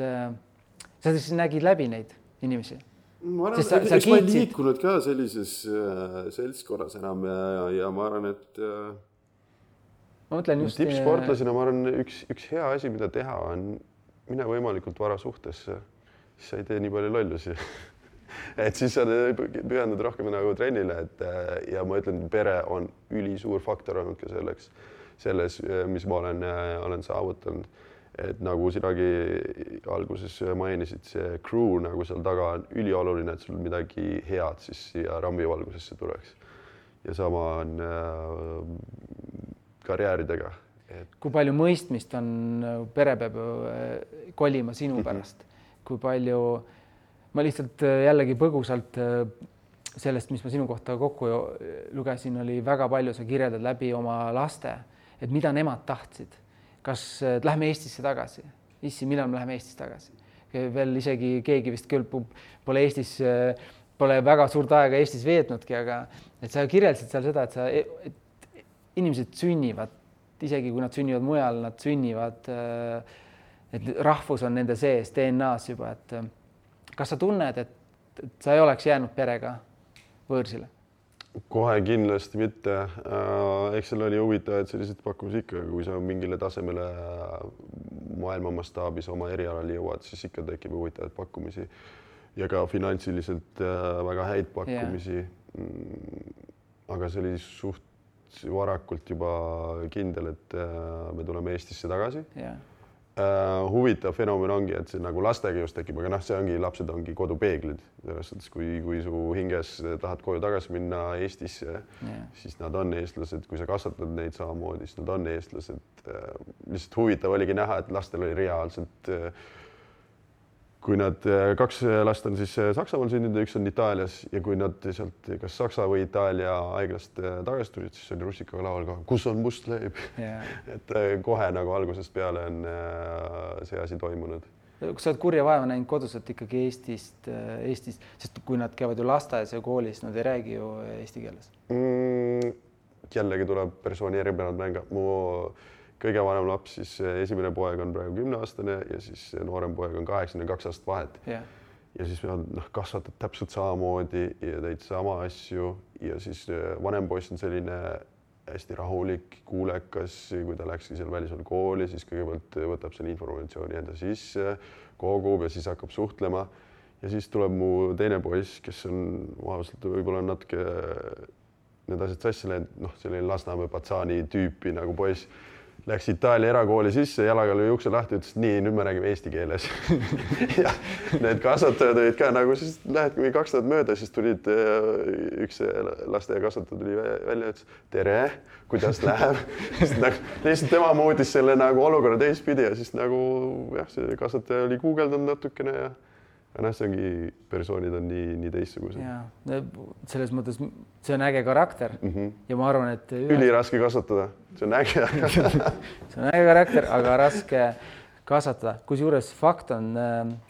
Sa siis nägid läbi neid inimesi? Ma arvan, eks ma ei liikunud ka sellises seltskorras enam ja ma arvan, et tippsportlasena ma arvan, üks hea asi, mida teha on mine võimalikult vara suhtesse, siis sa ei tee nii palju lollusi. Et siis sa pühendud rohkem nagu trennile, ja ma ütlen, pere on ülisuur faktor olnud ka selles, mis ma olen saavutanud. Et nagu sinagi alguses mainisid, see crew nagu seal taga on ülioluline, et sul midagi head siis siia rambivalgusesse tuleks. Ja sama on karjääridega. Kui palju mõistmist on, pere peab kolima sinu pärast, kui palju, ma lihtsalt jällegi põgusalt sellest, mis ma sinu kohta kokku lugesin, oli väga palju, sa kirjeldad läbi oma laste, et mida nemad tahtsid. Kas lähme Eestisse tagasi? Issi, millal me läheme Eestisse tagasi? veel isegi keegi vist küll pole Eestis, pole väga suurt aega Eestis veetnudki, aga et sa kirjeldasid seal seda, et inimesed sünnivad, isegi kui nad sünnivad mujal, nad sünnivad, et rahvus on nende sees DNA-s juba, et kas sa tunned, et sa ei oleks jäänud perega võõrsile? Kohe kindlasti mitte. Eks seal oli huvitavaid selliseid pakkumisi ikka, kui sa mingile tasemele maailma mastaabis oma erialal jõuad, siis ikka tekib huvitavaid pakkumisi ja ka finantsiliselt väga häid pakkumisi. Aga see oli suht varakult juba kindel, et me tuleme Eestisse tagasi. Huvitav fenomen ongi, et see nagu lastega just tekib, aga see ongi, lapsed ongi kodupeeglid. Selles mõttes, kui su hinges tahad koju tagasi minna Eestisse, siis nad on eestlased. Kui sa kasvatad neid samamoodi, siis nad on eestlased. Lihtsalt huvitav oligi näha, et lastel oli reaalselt, kui nad 2 last on siis Saksamaal sündinud ja 1 on Itaalias ja kui nad sealt kas Saksa või Itaalia haiglast tagasi tulid, siis oli russikaga laval ka, kus on must leib. Et kohe nagu algusest peale on see asi toimunud. Kus sa oled kurja vaeva näinud kodus, et ikkagi Eestis, sest kui nad käivad ju lasteaias ja koolis, nad ei räägi ju eesti keeles. Jällegi tuleb persooni eripärad mänga. Mu kõige vanem laps, siis esimene poeg on praegu 10-aastane ja siis noorem poeg on 82 aastat vahet. Ja siis nad kasvatavad täpselt samamoodi ja teid sama asju ja siis vanem poiss on selline hästi rahulik, kuulekas, kui ta läkski seal välismaal kooli, siis kõigepealt võtab selle informatsiooni enda sisse, kogub ja siis hakkab suhtlema. Ja siis tuleb mu teine poiss, kes on võib-olla natuke need asjad sassi läinud, selline Lasnamäe Patsani tüüpi nagu poiss. Läks Itaalia erakooli sisse, jalaga lõi ukse lahti, ütles, nii, nüüd me räägime eesti keeles. Ja need kasvatajad olid ka nagu, siis lähedki 2 nädalat mööda, siis tulid üks lasteaia kasvataja tuli välja ja ütles, tere, kuidas läheb. Lihtsalt tema muutis selle nagu olukorra teistpidi ja siis nagu see kasvataja oli guugeldanud natukene ja see ongi, persoonid on nii teistsugused. Selles mõttes see on äge karakter ja ma arvan, et üliraske kasvatada, see on äge. See on äge karakter, aga raske kasvatada. Kusjuures fakt on,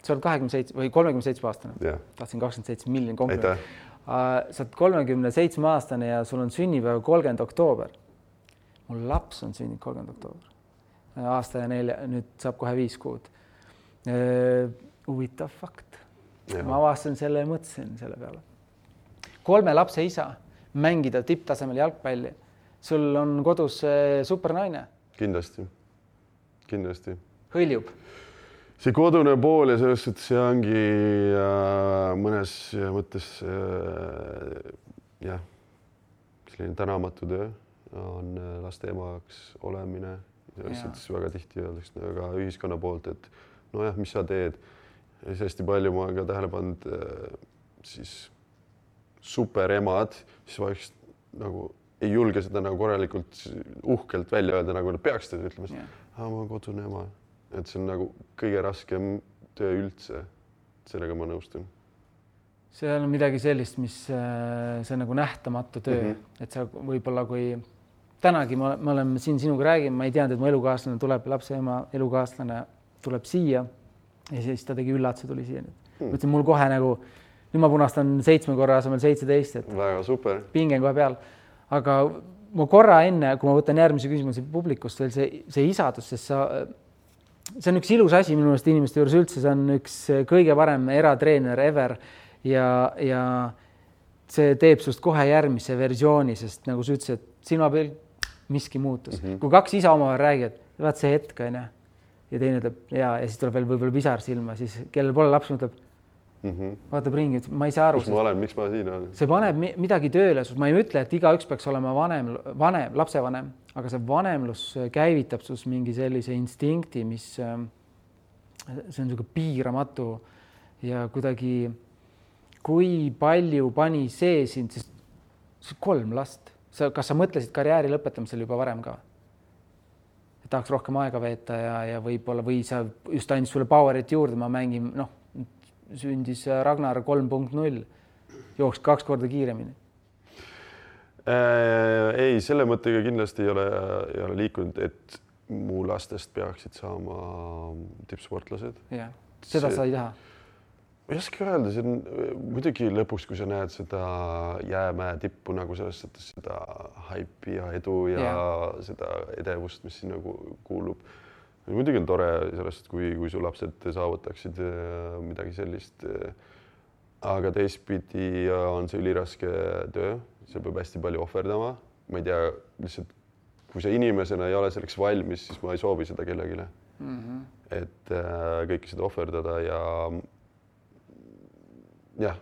sa oled 27 või 37 aastane. Tahtsin 27 miljonit kompliment. Sa oled 37 aastane ja sul on sünnipäev 30. oktoober. Mul laps on sünninud 30. oktoober. Aasta ja 4, nüüd saab kohe 5 kuud. Huvitav fakt. Ma avastasin selle ja mõtlesin selle peale. 3 lapse isa, mängida tipptasemel jalgpalli. Sul on kodus supernaine. Kindlasti. Hõljub. See kodune pool ja selles, et see ongi mõnes mõttes selline tänamatu töö on laste emaks olemine. Selles väga tihti öeldakse väga ühiskonna poolt, et mis sa teed. Ja siis hästi palju ma ka tähele pannud siis superemad, siis vaikselt nagu ei julge seda nagu korralikult uhkelt välja öelda, nagu nad peaks seda ütlema. Ma olen kodune ema. Et see on nagu kõige raskem töö üldse. Sellega ma nõustun. See on midagi sellist, mis see on nagu nähtamatu töö. Et sa võib-olla kui tänagi me oleme siin sinuga räägime, ma ei teadnud, et mu elukaaslane tuleb, lapse ema elukaaslane tuleb siia. Ja siis ta tegi üllatuse, tuli siia. Mõtlesin mul kohe nagu, nüüd ma punastan 7 korra asemel 17. Väga super. Pingen kohe peal. Aga ma korra enne, kui ma võtan järgmise küsimuse publikust, veel see isadus, sest see on üks ilus asi minu meelest inimeste juures üldse, see on üks kõige parem eratreener ever ja see teeb sust kohe järgmise versiooni, sest nagu sa ütlesid, et silma peal miski muutus. Kui 2 isa omavahel räägivad, vaat see hetk on ja teine ütleb ja siis tuleb veel võib-olla pisar silma, siis kellel pole laps mõtleb, vaatab ringi, ma ei saa aru. Kus ma olen, miks ma siin olen? See paneb midagi tööle, ma ei ütle, et igaüks peaks olema lapsevanem, aga see vanemlus käivitab sus mingi sellise instinkti, mis see on niisugune piiramatu ja kuidagi, kui palju pani see sind, sest 3 last. Kas sa mõtlesid karjääri lõpetamisel juba varem ka? Tahaks rohkem aega veeta ja võib-olla või sa just andis sulle powerit juurde, ma mängin, sündis Ragnar 3.0, jooks 2 korda kiiremini. Ei, selle mõttega kindlasti ei ole liikunud, et mu lastest peaksid saama tippsportlased. Seda sa ei taha? Ma ei oska öelda, see on muidugi lõpuks, kui sa näed seda jäämäe tippu nagu selles mõttes seda haipi ja edu ja seda edevust, mis siin nagu kuulub. Muidugi on tore sellest, kui su lapsed saavutaksid midagi sellist. Aga teistpidi on see üliraske töö, see peab hästi palju ohverdama. Ma ei tea, lihtsalt kui sa inimesena ei ole selleks valmis, siis ma ei soovi seda kellegile. Et kõike seda ohverdada ja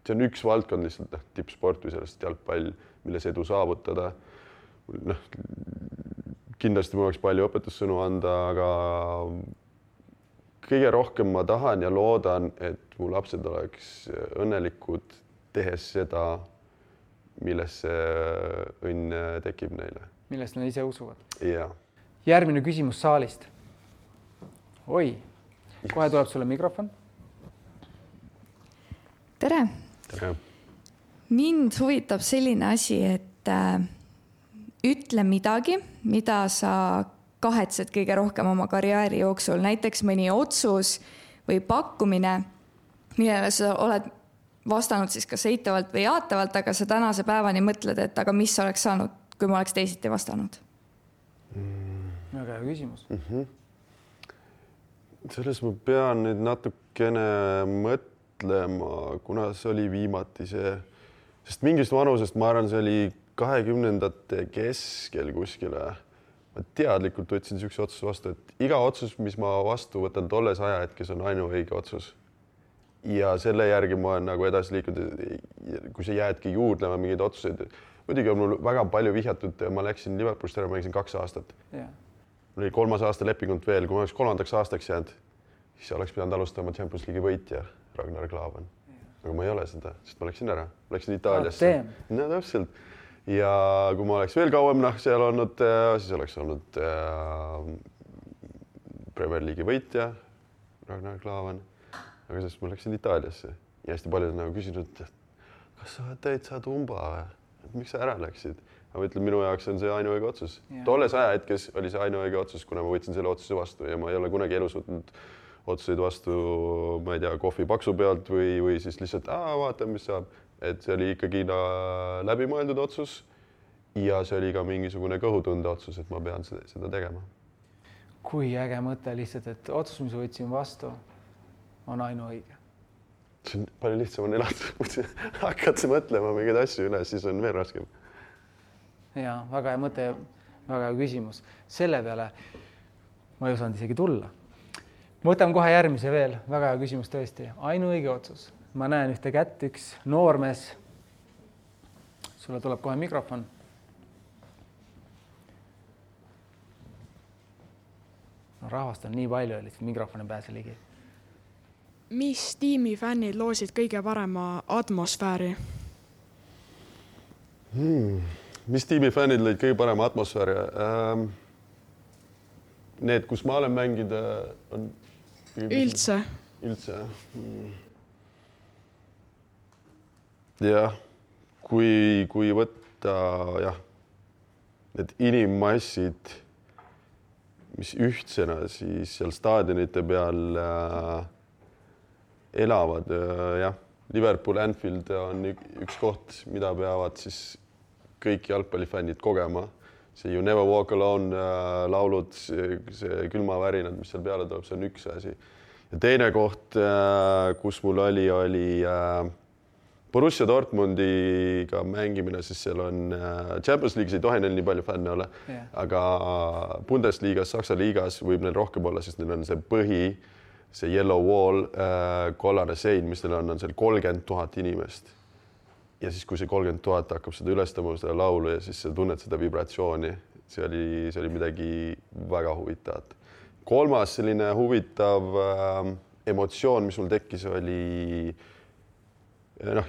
see on üks valdkond lihtsalt tippsport või sellest jalgpall, milles edu saavutada. Kindlasti ma oleks palju õpetussõnu anda, aga kõige rohkem ma tahan ja loodan, et mu lapsed oleks õnnelikud tehes seda, milles see õnn tekib neile. Millest nad ise usuvad. Ja. Järgmine küsimus saalist. Oi, kohe tuleb sulle mikrofon. Tere. Tere. Mind huvitab selline asi, et ütle midagi, mida sa kahetsed kõige rohkem oma karjääri jooksul. Näiteks mõni otsus või pakkumine, millele sa oled vastanud siis kas eitavalt või jaatavalt, aga sa tänase päevani mõtled, et aga mis oleks saanud, kui ma oleks teisiti vastanud? Väga hea küsimus. Selles ma pean nüüd natukene mõtlema, kuna see oli viimati see, sest mingist vanusest ma arvan, see oli 20. keskel kuskile. Ma teadlikult võtsin sellise otsuse vastu, et iga otsus, mis ma vastu võtan tolles ajahetkes, on ainuõige otsus. Ja selle järgi ma olen nagu edasi liikunud, kui sa jäädki juurdlema mingeid otsuseid. Muidugi on mul väga palju vihjatud, ma läksin Liverpoolist ära, ma läksin 2 aastat. Mul oli 3. aasta lepingut veel, kui ma oleks 3. aastaks jäänud, siis oleks pidanud alustama Champions League'i võitja Ragnar Klavan. Aga ma ei ole seda, sest ma läksin ära. Ma läksin Itaaliasse. No täpselt. Ja kui ma oleks veel kauem seal olnud, siis oleks olnud Premier League'i võitja Ragnar Klavan. Aga sest ma läksin Itaaliasse ja hästi paljud nagu küsinud, et kas sa täitsa tumba või? Et miks sa ära läksid? Ma ütlen, minu jaoks on see ainuõige otsus. Tolles ajahetkes oli see ainuõige otsus, kuna ma võtsin selle otsuse vastu ja ma ei ole kunagi elus võtnud otsuseid vastu, ma ei tea, kohvi paksu pealt või siis lihtsalt vaata, mis saab. Et see oli ikkagi läbimõeldud otsus ja see oli ka mingisugune kõhutunde otsus, et ma pean seda tegema. Kui äge mõte lihtsalt, et otsus, mis võtsin vastu, on ainuõige. See on palju lihtsam on elada. Hakkad sa mõtlema mingeid asju üle, siis on veel raskem. Ja, väga hea mõte, väga hea küsimus. Selle peale ma ei osanud isegi tulla. Võtame kohe järgmise veel. Väga hea küsimus tõesti. Ainuõige otsus. Ma näen ühte kätt, üks noormees. Sulle tuleb kohe mikrofon. No, rahvast on nii palju, et mikrofoni pääse ligi. Mis tiimi fännid loosid kõige parema atmosfääri? Mis tiimi fännid lõid kõige parema atmosfääri? Need, kus ma olen mängida, on... Üldse. Üldse, jah, kui võtta need inimmassid, mis ühtsena siis seal staadionite peal elavad, Liverpool, Anfield on üks koht, mida peavad siis kõik jalgpallifännid kogema. See You Never Walk Alone laulud, see külmavärinad, mis seal peale tuleb, see on üks asi. Ja teine koht, kus mul oli Borussia Dortmundiga mängimine, siis seal on Champions League'is ei tohi neil nii palju fänne olla, aga Bundesliigas, Saksa liigas võib neil rohkem olla, sest neil on see põhi, see yellow wall, kollane sein, mis neil on seal 30 000 inimest. Ja siis, kui see 30 000 hakkab seda ülestama, seda laulu ja siis sa tunned seda vibratsiooni, see oli midagi väga huvitavat. Kolmas selline huvitav emotsioon, mis mul tekkis, oli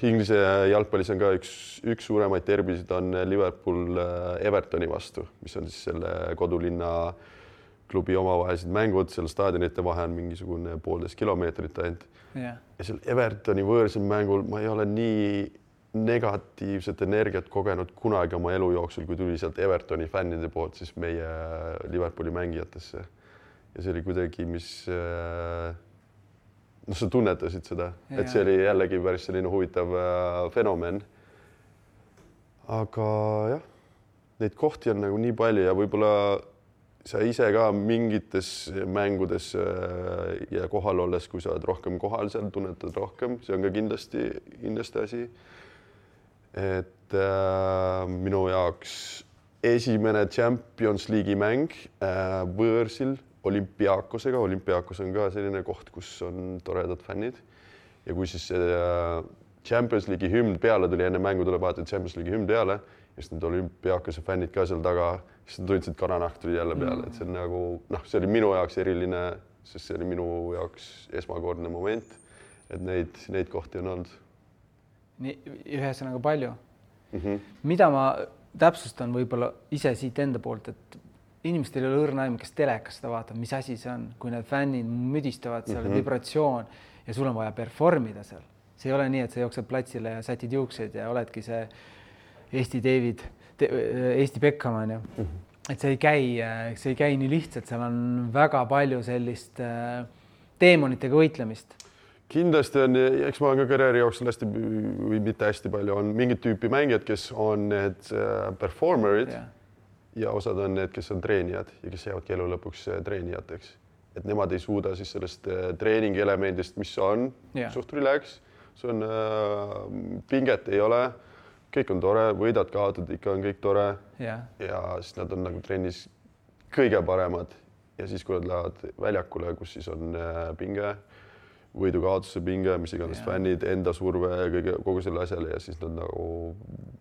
Inglise jalgpallis on ka üks suuremaid derbisid on Liverpool Evertoni vastu, mis on siis selle kodulinna klubi omavahelised mängud, seal staadionite vahe on mingisugune 1,5 kilomeetrit ainult. Ja seal Evertoni võõrsel mängul ma ei ole nii negatiivset energiat kogenud kunagi oma elu jooksul, kui tuli sealt Evertoni fännide poolt siis meie Liverpooli mängijatesse. Ja see oli kuidagi, mis noh, sa tunnetasid seda, et see oli jällegi päris selline huvitav fenomen. Aga jah, neid kohti on nagu nii palju ja võib-olla sa ise ka mingites mängudes ja kohal olles, kui sa oled rohkem kohal seal, tunnetad rohkem, see on ka kindlasti asi. Et minu jaoks esimene Champions League'i mäng võõrsil Olympiakosega. Olympiakos on ka selline koht, kus on toredad fännid. Ja kui siis Champions League'i hümn peale tuli, enne mängu tuleb vaadata Champions League'i hümn peale, ja siis need Olympiakose fännid ka seal taga, siis nad tundsid kananahk tuli jälle peale. Et see on nagu, see oli minu jaoks eriline, sest see oli minu jaoks esmakordne moment, et neid kohti on olnud. Ühesõnaga palju. Mida ma täpsustan võib-olla ise siit enda poolt, et inimestel ei ole õrna aim, kes telekas seda vaatab, mis asi see on, kui need fännid müdistavad seal vibratsioon ja sul on vaja performida seal. See ei ole nii, et sa jooksed platsile ja sätid juuksed ja oledki see Eesti David, Eesti Beckham on ju. Et see ei käi nii lihtsalt, seal on väga palju sellist teemonitega võitlemist. Kindlasti on, eks ma olen ka karjääri jooksul hästi või mitte hästi palju, on mingid tüüpi mängijad, kes on need performerid ja osad on need, kes on treenijad ja kes jäävadki elu lõpuks treenijateks. Et nemad ei suuda siis sellest treeningi elemendist, mis on suht relax, see on pinget ei ole, kõik on tore, võidad, kaotad, ikka on kõik tore ja siis nad on nagu trennis kõige paremad ja siis, kui nad lähevad väljakule, kus siis on pinge, võidu-kaotuse pinge, mis iganes fännid, enda surve ja kogu selle asjale ja siis nad nagu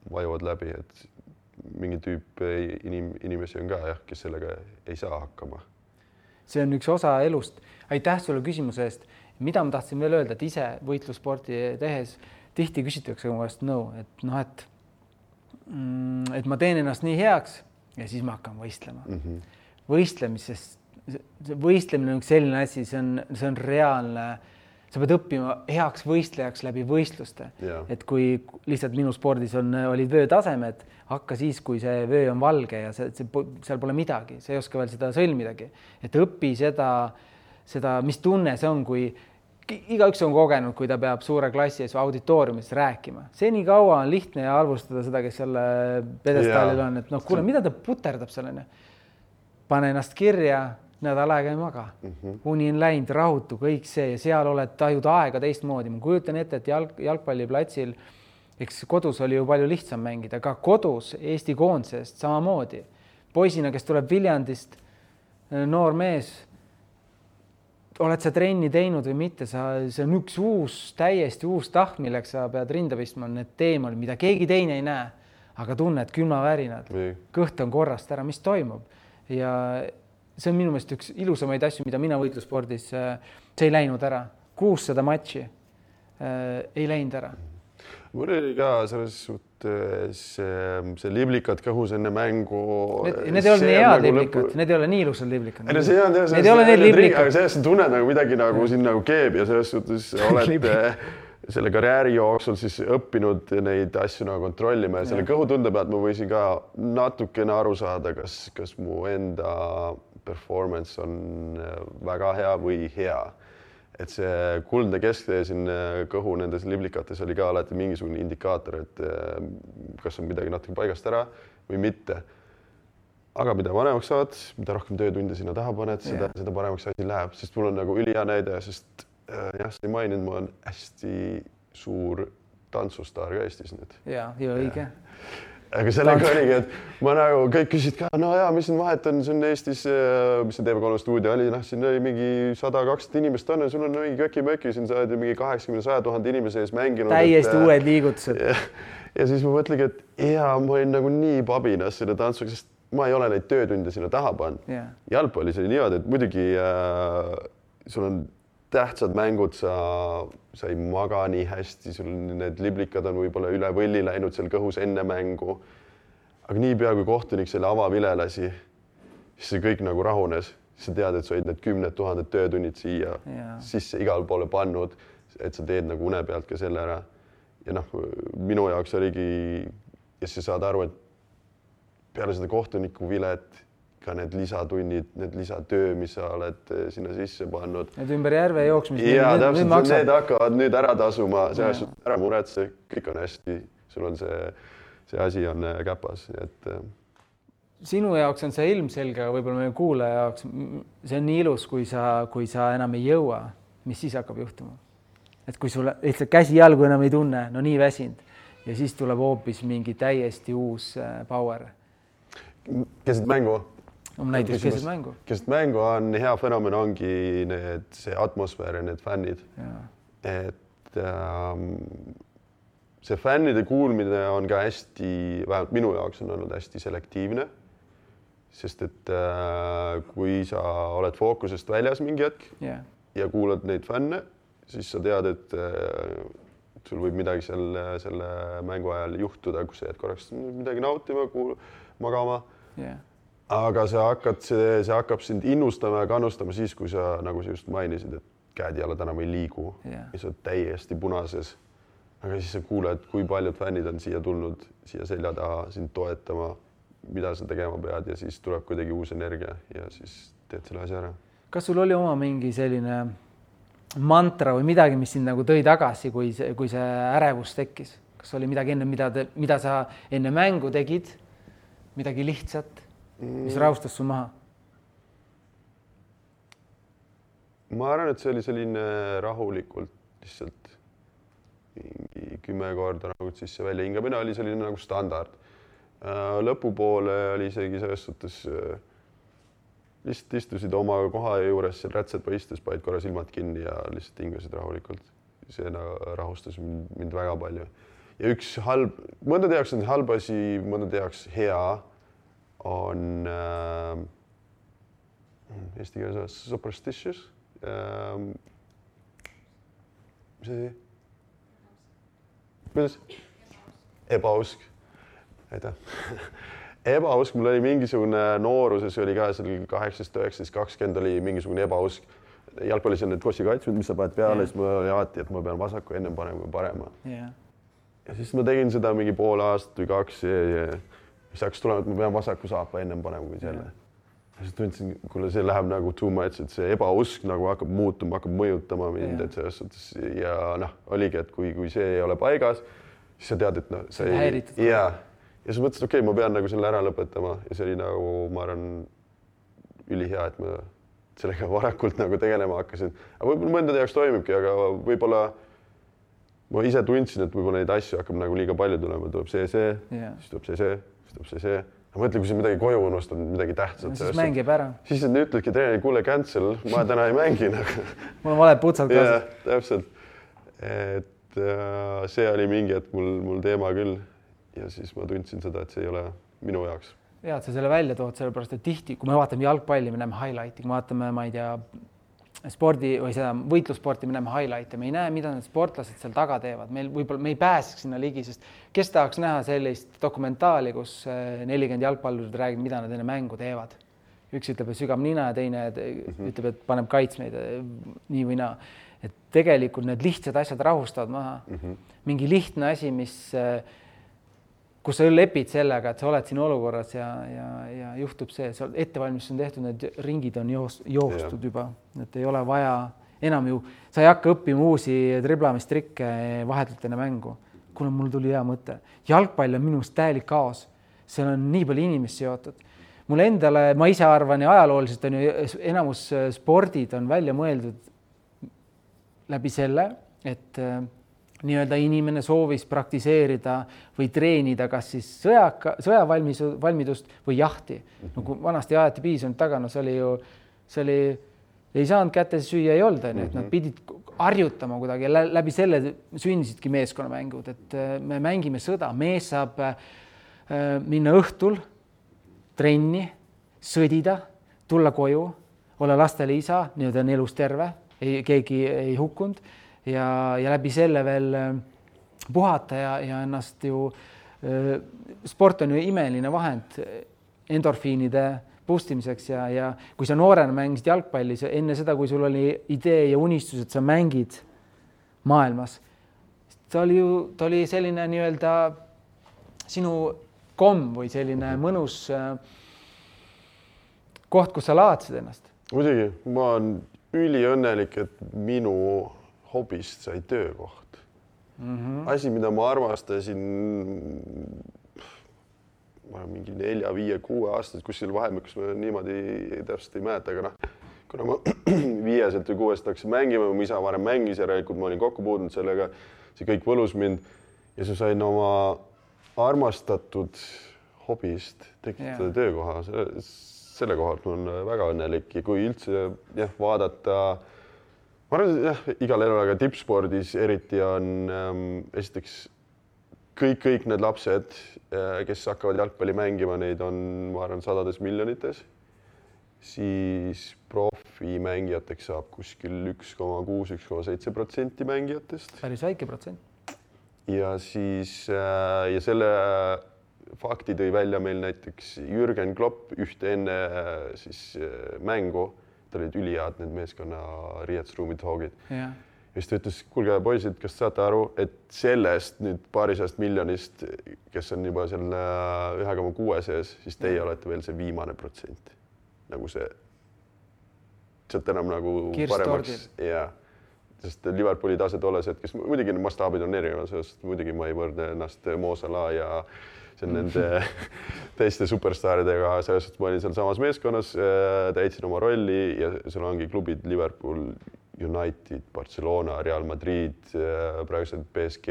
vajuvad läbi, et mingi tüüp inimesi on ka, kes sellega ei saa hakkama. See on üks osa elust. Aitäh sulle küsimuse eest. Mida ma tahtsin veel öelda, et ise võitlussporti tehes tihti küsitakse mu käest et ma teen ennast nii heaks ja siis ma hakkan võistlema. Võistlemine on üks selline asi, see on reaalne. Sa pead õppima heaks võistlejaks läbi võistluste. Et kui lihtsalt minu spordis olid vöötasemed, hakka siis, kui see vöö on valge ja seal pole midagi, sa ei oska veel seda sõlmidagi. Et õpi seda, mis tunne see on, kui igaüks on kogenud, kui ta peab suure klassi ees auditooriumis rääkima. See nii kaua on lihtne ja arvustada seda, kes selle pedestaalil on, et kuule, mida ta puterdab sellene? Pane ennast kirja, nädal aega ei maga. Uni on läinud, rahutu, kõik see ja seal oled tajud aega teistmoodi. Ma kujutan ette, et jalgpalliplatsil, eks kodus oli ju palju lihtsam mängida, aga kodus Eesti koondisest samamoodi. Poisina, kes tuleb Viljandist, noor mees, oled sa trenni teinud või mitte, see on üks täiesti uus taht, milleks sa pead rinda pistma, need teemad, mida keegi teine ei näe, aga tunned külmavärinad, kõht on korrast ära, mis toimub ja see on minu meelest üks ilusamaid asju, mida mina võitluspordis, see ei läinud ära. 600 matši ei läinud ära. Mul oli ka selles suhtes see liblikad kõhus enne mängu. Need ei ole nii head liblikad, need ei ole nii ilusad liblikad. Need ei ole need liblikad. Aga sellest tunned nagu midagi nagu siin nagu keeb ja selles suhtes oled selle karjääri jooksul siis õppinud neid asju nagu kontrollima ja selle kõhutunde pealt ma võisin ka natukene aru saada, kas mu enda performance on väga hea või hea. Et see kuldne kesktee siin kõhu nendes liblikates oli ka alati mingisugune indikaator, et kas on midagi natuke paigast ära või mitte. Aga mida vanemaks saad, mida rohkem töötunde sinna taha paned, seda paremaks asi läheb, sest mul on nagu ülihea näide, sest sa ei maininud, ma olen hästi suur tantsustaar ka Eestis nüüd. Ja õige. Aga sellega oligi, et ma nagu kõik küsid ka, mis siin vahet on, see on Eestis, mis see TV3 stuudio oli, siin oli mingi 100-200 inimest on, sul on mingi köki-möki, siin sa oled mingi 80-100 000 inimese ees mänginud. Täiesti uued liigutused. Ja siis ma mõtlegi, et ma olin nagu nii pabinas selle tantsuga, sest ma ei ole neid töötunde sinna taha pannud. Jalgpallis oli niimoodi, et muidugi sul on tähtsad mängud, sa ei maga nii hästi, sul need liblikad on võib-olla üle võlli läinud seal kõhus enne mängu. Aga nii pea kui kohtunik selle avavile lasi, siis see kõik nagu rahunes. Sa tead, et sa olid need 10 000 töötunnid siia sisse igale poole pannud, et sa teed nagu une pealt ka selle ära. Ja minu jaoks oligi, ja sa saad aru, et peale seda kohtuniku vilet ka need lisatunnid, need lisatöö, mis sa oled sinna sisse pannud. Need ümber järve jooksmised. Ja täpselt, need hakkavad nüüd ära tasuma, see ära muretse, kõik on hästi, sul on see asi on käpas, et sinu jaoks on see ilmselge, aga võib-olla meie kuulaja jaoks see on nii ilus, kui sa enam ei jõua, mis siis hakkab juhtuma. Et kui sul lihtsalt käsi-jalgu enam ei tunne, no nii väsinud ja siis tuleb hoopis mingi täiesti uus power. Keset mängu? Näiteks keset mängu. Keset mängu on hea fenomen, ongi see atmosfäär ja need fännid. Et see fännide kuulmine on ka hästi, vähemalt minu jaoks on olnud hästi selektiivne. Sest et kui sa oled fookusest väljas mingi hetk ja kuulad neid fänne, siis sa tead, et sul võib midagi selle mängu ajal juhtuda, kus sa jääd korraks midagi nautima, magama. Aga see hakkab sind innustama ja kannustama siis, kui sa, nagu sa just mainisid, et käed-jalad enam ei liigu ja sa oled täiesti punases. Aga siis sa kuuled, kui paljud fännid on siia tulnud, siia selja taha sind toetama, mida sa tegema pead ja siis tuleb kuidagi uus energia ja siis teed selle asja ära. Kas sul oli oma mingi selline mantra või midagi, mis sind nagu tõi tagasi, kui see ärevus tekkis? Kas oli midagi enne, mida sa enne mängu tegid? Midagi lihtsat, mis rahustas su maha? Ma arvan, et see oli selline rahulikult lihtsalt 10 korda nagu sisse välja hingamine oli selline nagu standard. Lõpupoole oli isegi selles suhtes lihtsalt istusid oma koha juures, seal rätsepa istus, paid korra silmad kinni ja lihtsalt hingasid rahulikult. See rahustas mind väga palju. Ja üks mõndade jaoks on halb asi, mõndade jaoks hea on eesti keeles superstitious. Mis asi? Kuidas? Ebausk. Aitäh. Ebausk, mul oli mingisugune nooruses, oli ka seal 18, 19, 20 oli mingisugune ebausk. Jalgpallis on need kossikaitsmed, mis sa paned peale, siis mul oli alati, et ma pean vasaku ennem panema kui parema. Ja siis ma tegin seda mingi pool aastat või 2 ja siis hakkas tulema, et ma pean vasaku saapa ennem panema kui selle. Ja siis tundsin, kuule, see läheb nagu too much, et see ebausk nagu hakkab muutuma, hakkab mõjutama mind, et selles suhtes ja oligi, et kui see ei ole paigas, siis sa tead, et see ei häiritud. Ja siis mõtlesin, okei, ma pean nagu selle ära lõpetama ja see oli nagu, ma arvan, ülihea, et ma sellega varakult nagu tegelema hakkasin. Aga võib-olla mõndade jaoks toimibki, aga võib-olla ma ise tundsin, et võib-olla neid asju hakkab nagu liiga palju tulema, tuleb see, siis tuleb see. Ma mõtlen, kui sa midagi koju unustad, midagi tähtsat. Siis mängib ära. Siis nad ütledki treeneri, kuule cancel, ma täna ei mängi. Mul on valed putsad kaasas. Täpselt. Et see oli mingi, et mul teema küll. Ja siis ma tundsin seda, et see ei ole minu jaoks. Ja, et sa selle välja tood, sellepärast, et tihti, kui me vaatame jalgpalli, me näeme highlighti, kui me vaatame, ma ei tea, spordi või seda võitlussporti, me näeme highlighti, me ei näe, mida need sportlased seal taga teevad. Me ei pääseks sinna ligi, sest kes tahaks näha sellist dokumentaali, kus 40 jalgpallurid räägib, mida nad enne mängu teevad. Üks ütleb, et sügab nina ja teine ütleb, et paneb kaitsmeid nii või naa. Et tegelikult need lihtsad asjad rahustavad maha. Mingi lihtne asi, kus sa lepid sellega, et sa oled siin olukorras ja juhtub see, ettevalmistus on tehtud, need ringid on joostud juba, et ei ole vaja enam ju, sa ei hakka õppima uusi driblamistrikke vahetult enne mängu. Kuna mul tuli hea mõte. Jalgpall on minust täielik kaos. Seal on nii palju inimesi seotud. Mul endale, ma ise arvan ja ajalooliselt on ju enamus spordid on välja mõeldud läbi selle, et nii-öelda inimene soovis praktiseerida või treenida kas siis sõjavalmidust või jahti. Kui vanasti ajati piisanud taga, no see oli, ei saanud kätte süüa, ei olnud, et nad pidid harjutama kuidagi, läbi selle sündisidki meeskonnamängud, et me mängime sõda, mees saab minna õhtul trenni, sõdida, tulla koju, olla lastele isa, nii-öelda on elus terve, keegi ei hukkunud ja läbi selle veel puhata ja ennast ju, sport on ju imeline vahend endorfiinide pustimiseks ja kui sa noorena mängisid jalgpallis, enne seda, kui sul oli idee ja unistus, et sa mängid maailmas, ta oli selline nii-öelda sinu komm või selline mõnus koht, kus sa laadsid ennast. Muidugi, ma olen üliõnnelik, et minu hobist sai töökoht. Asi, mida ma armastasin mingi 4, 5, 6 aastat kuskil vahemikus ma niimoodi täpselt ei mäleta, aga kuna ma 5 või 6 hakkasin mängima, mu isa varem mängis ja järelikult ma olin kokku puudunud sellega, see kõik võlus mind ja sa sain oma armastatud hobist tekitada töökoha. Selle kohalt ma olen väga õnnelik ja kui üldse vaadata, ma arvan, igal elul, aga tippspordis eriti on esiteks kõik need lapsed, kes hakkavad jalgpalli mängima, neid on, ma arvan, sadades miljonites, siis profimängijateks saab kuskil 1,6–1,7% mängijatest. Päris väike protsent. Ja siis ja selle fakti tõi välja meil näiteks Jürgen Klopp ühte enne siis mängu, ta olid ülihead need meeskonna riietusruumid hoogid. Ja siis ta ütles, kuulge poisid, kas saate aru, et sellest nüüd paarisajast miljonist, kes on juba selle 1,6 sees, siis teie olete veel see viimane protsent. Nagu see, sealt enam nagu paremaks. Ja, sest Liverpooli tase tolles hetkes, muidugi mastaabid on erinevad, sest muidugi ma ei võrdne ennast Mo Salah ja see on nende teiste superstaaridega, sellest ma olin seal samas meeskonnas, täitsin oma rolli ja seal ongi klubid Liverpool, United, Barcelona, Real Madrid, praegused PSG,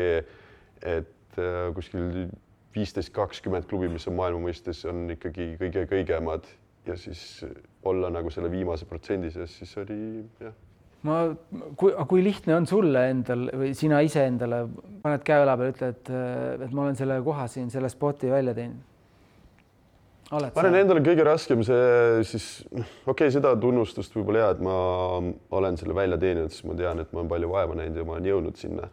et kuskil 15-20 klubi, mis on maailma mõistes, on ikkagi kõige kõigemad ja siis olla nagu selle viimase protsendi sees, siis oli jah. Kui lihtne on sulle endal või sina ise endale paned käe õla peal, ütled, et ma olen selle koha siin, selle spoti välja teinud? Ma olen endale kõige raskem see siis, seda tunnustust võib-olla et ma olen selle välja teeninud, siis ma tean, et ma olen palju vaeva näinud ja ma olen jõudnud sinna.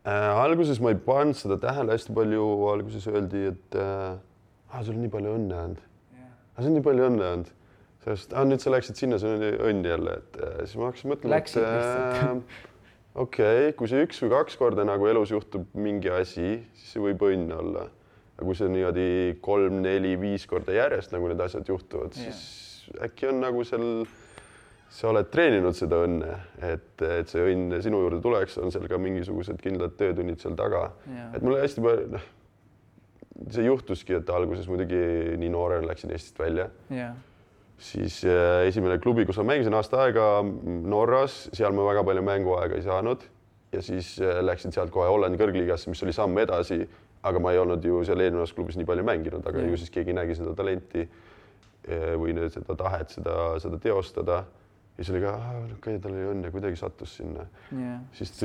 Alguses ma ei pannud seda tähele hästi palju, alguses öeldi, et sul on nii palju õnne olnud. See on nii palju õnne olnud. Sest nüüd sa läksid sinna, see on õnn jälle, et siis ma hakkasin mõtlema, et kui see 1 või 2 korda nagu elus juhtub mingi asi, siis see võib õnn olla. Ja kui see niimoodi 3, 4, 5 korda järjest nagu need asjad juhtuvad, siis äkki on nagu sa oled treeninud seda õnne, et see õnn sinu juurde tuleks, on seal ka mingisugused kindlad töötunnid seal taga. Et mulle hästi palju, see juhtuski, et alguses muidugi nii noorena läksin Eestist välja. Siis esimene klubi, kus ma mängisin aasta aega Norras, seal ma väga palju mänguaega ei saanud ja siis läksin sealt kohe Hollandi kõrgliigasse, mis oli samm edasi, aga ma ei olnud ju seal eelnevas klubis nii palju mänginud, aga ju siis keegi nägi seda talenti või seda tahet, seda teostada. Ja siis oli ka, tal oli õnne, kuidagi sattus sinna. Siis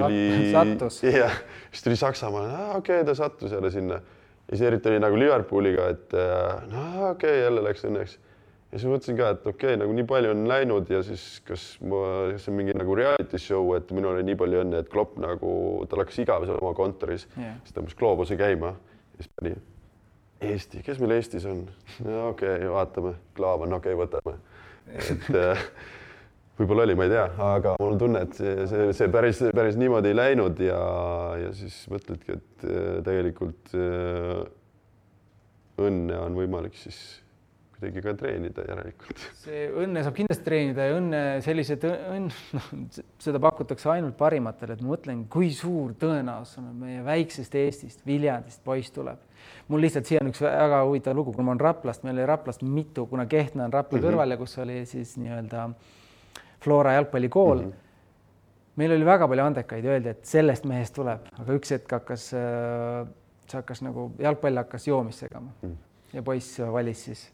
tuli Saksamaale, ta sattus jälle sinna. Ja siis eriti oli nagu Liverpooliga, et jälle läks õnneks. Ja siis mõtlesin ka, et nagu nii palju on läinud ja siis kas see on mingi nagu reality show, et minul oli nii palju õnne, et Klopp nagu, ta läks igav seal oma kontoris, siis tõmbas gloobuse käima ja siis pani Eesti, kes meil Eestis on? Vaatame, klaab on, võtame. Et võib-olla oli, ma ei tea, aga mul on tunne, et see päris niimoodi ei läinud ja siis mõtledki, et tegelikult õnne on võimalik siis kuidagi ka treenida järelikult. See õnne saab kindlasti treenida ja õnne sellised seda pakutakse ainult parimatele, et ma mõtlen, kui suur tõenäosus on meie väiksest Eestist, Viljandist poiss tuleb. Mul lihtsalt siia on üks väga huvitav lugu, kui ma olen Raplast, meil oli Raplast mitu, kuna Kehtna on Rapla kõrval ja kus oli siis nii-öelda Flora jalgpallikool. Meil oli väga palju andekaid, öeldi, et sellest mehest tuleb, aga üks hetk hakkas nagu jalgpall hakkas joomist segama ja poiss valis siis.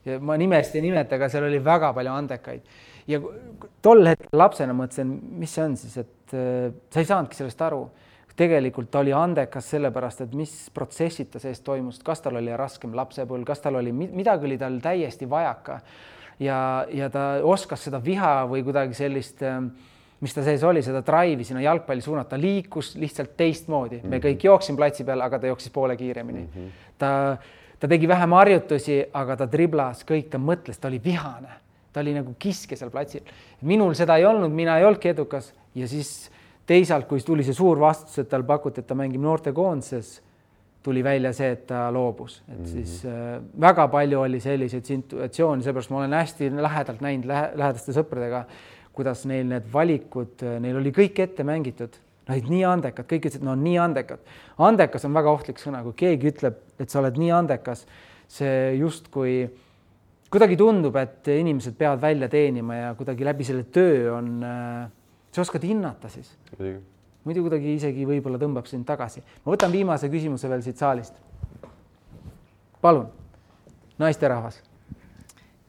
Ja ma nimest ei nimeta, aga seal oli väga palju andekaid. Ja tol hetkel lapsena mõtlesin, mis see on siis, et sa ei saanudki sellest aru. Tegelikult ta oli andekas sellepärast, et mis protsessid ta sees toimus, kas tal oli raskem lapsepõlv, kas tal oli, midagi oli tal täiesti vajaka ja ta oskas seda viha või kuidagi sellist, mis ta sees oli, seda drive'i sinna jalgpalli suunata, liikus lihtsalt teistmoodi. Me kõik jooksin platsi peal, aga ta jooksis poole kiiremini. Ta tegi vähem harjutusi, aga ta driblas kõik, ta mõtles, ta oli vihane. Ta oli nagu kiske seal platsil. Minul seda ei olnud, mina ei olnudki edukas ja siis teisalt, kui tuli see suur vastus, et tal pakuti, et ta mängib noortekoondises, tuli välja see, et ta loobus, et siis väga palju oli selliseid situatsioone, seepärast ma olen hästi lähedalt näinud lähedaste sõpradega, kuidas neil need valikud, neil oli kõik ette mängitud, nad nii andekad, kõik ütlesid, no nii andekad. Andekas on väga ohtlik sõna, kui keegi ütleb, et sa oled nii andekas, see justkui kuidagi tundub, et inimesed peavad välja teenima ja kuidagi läbi selle töö on, sa oskad hinnata siis. Muidu kuidagi isegi võib-olla tõmbab sind tagasi. Ma võtan viimase küsimuse veel siit saalist. Palun, naisterahvas.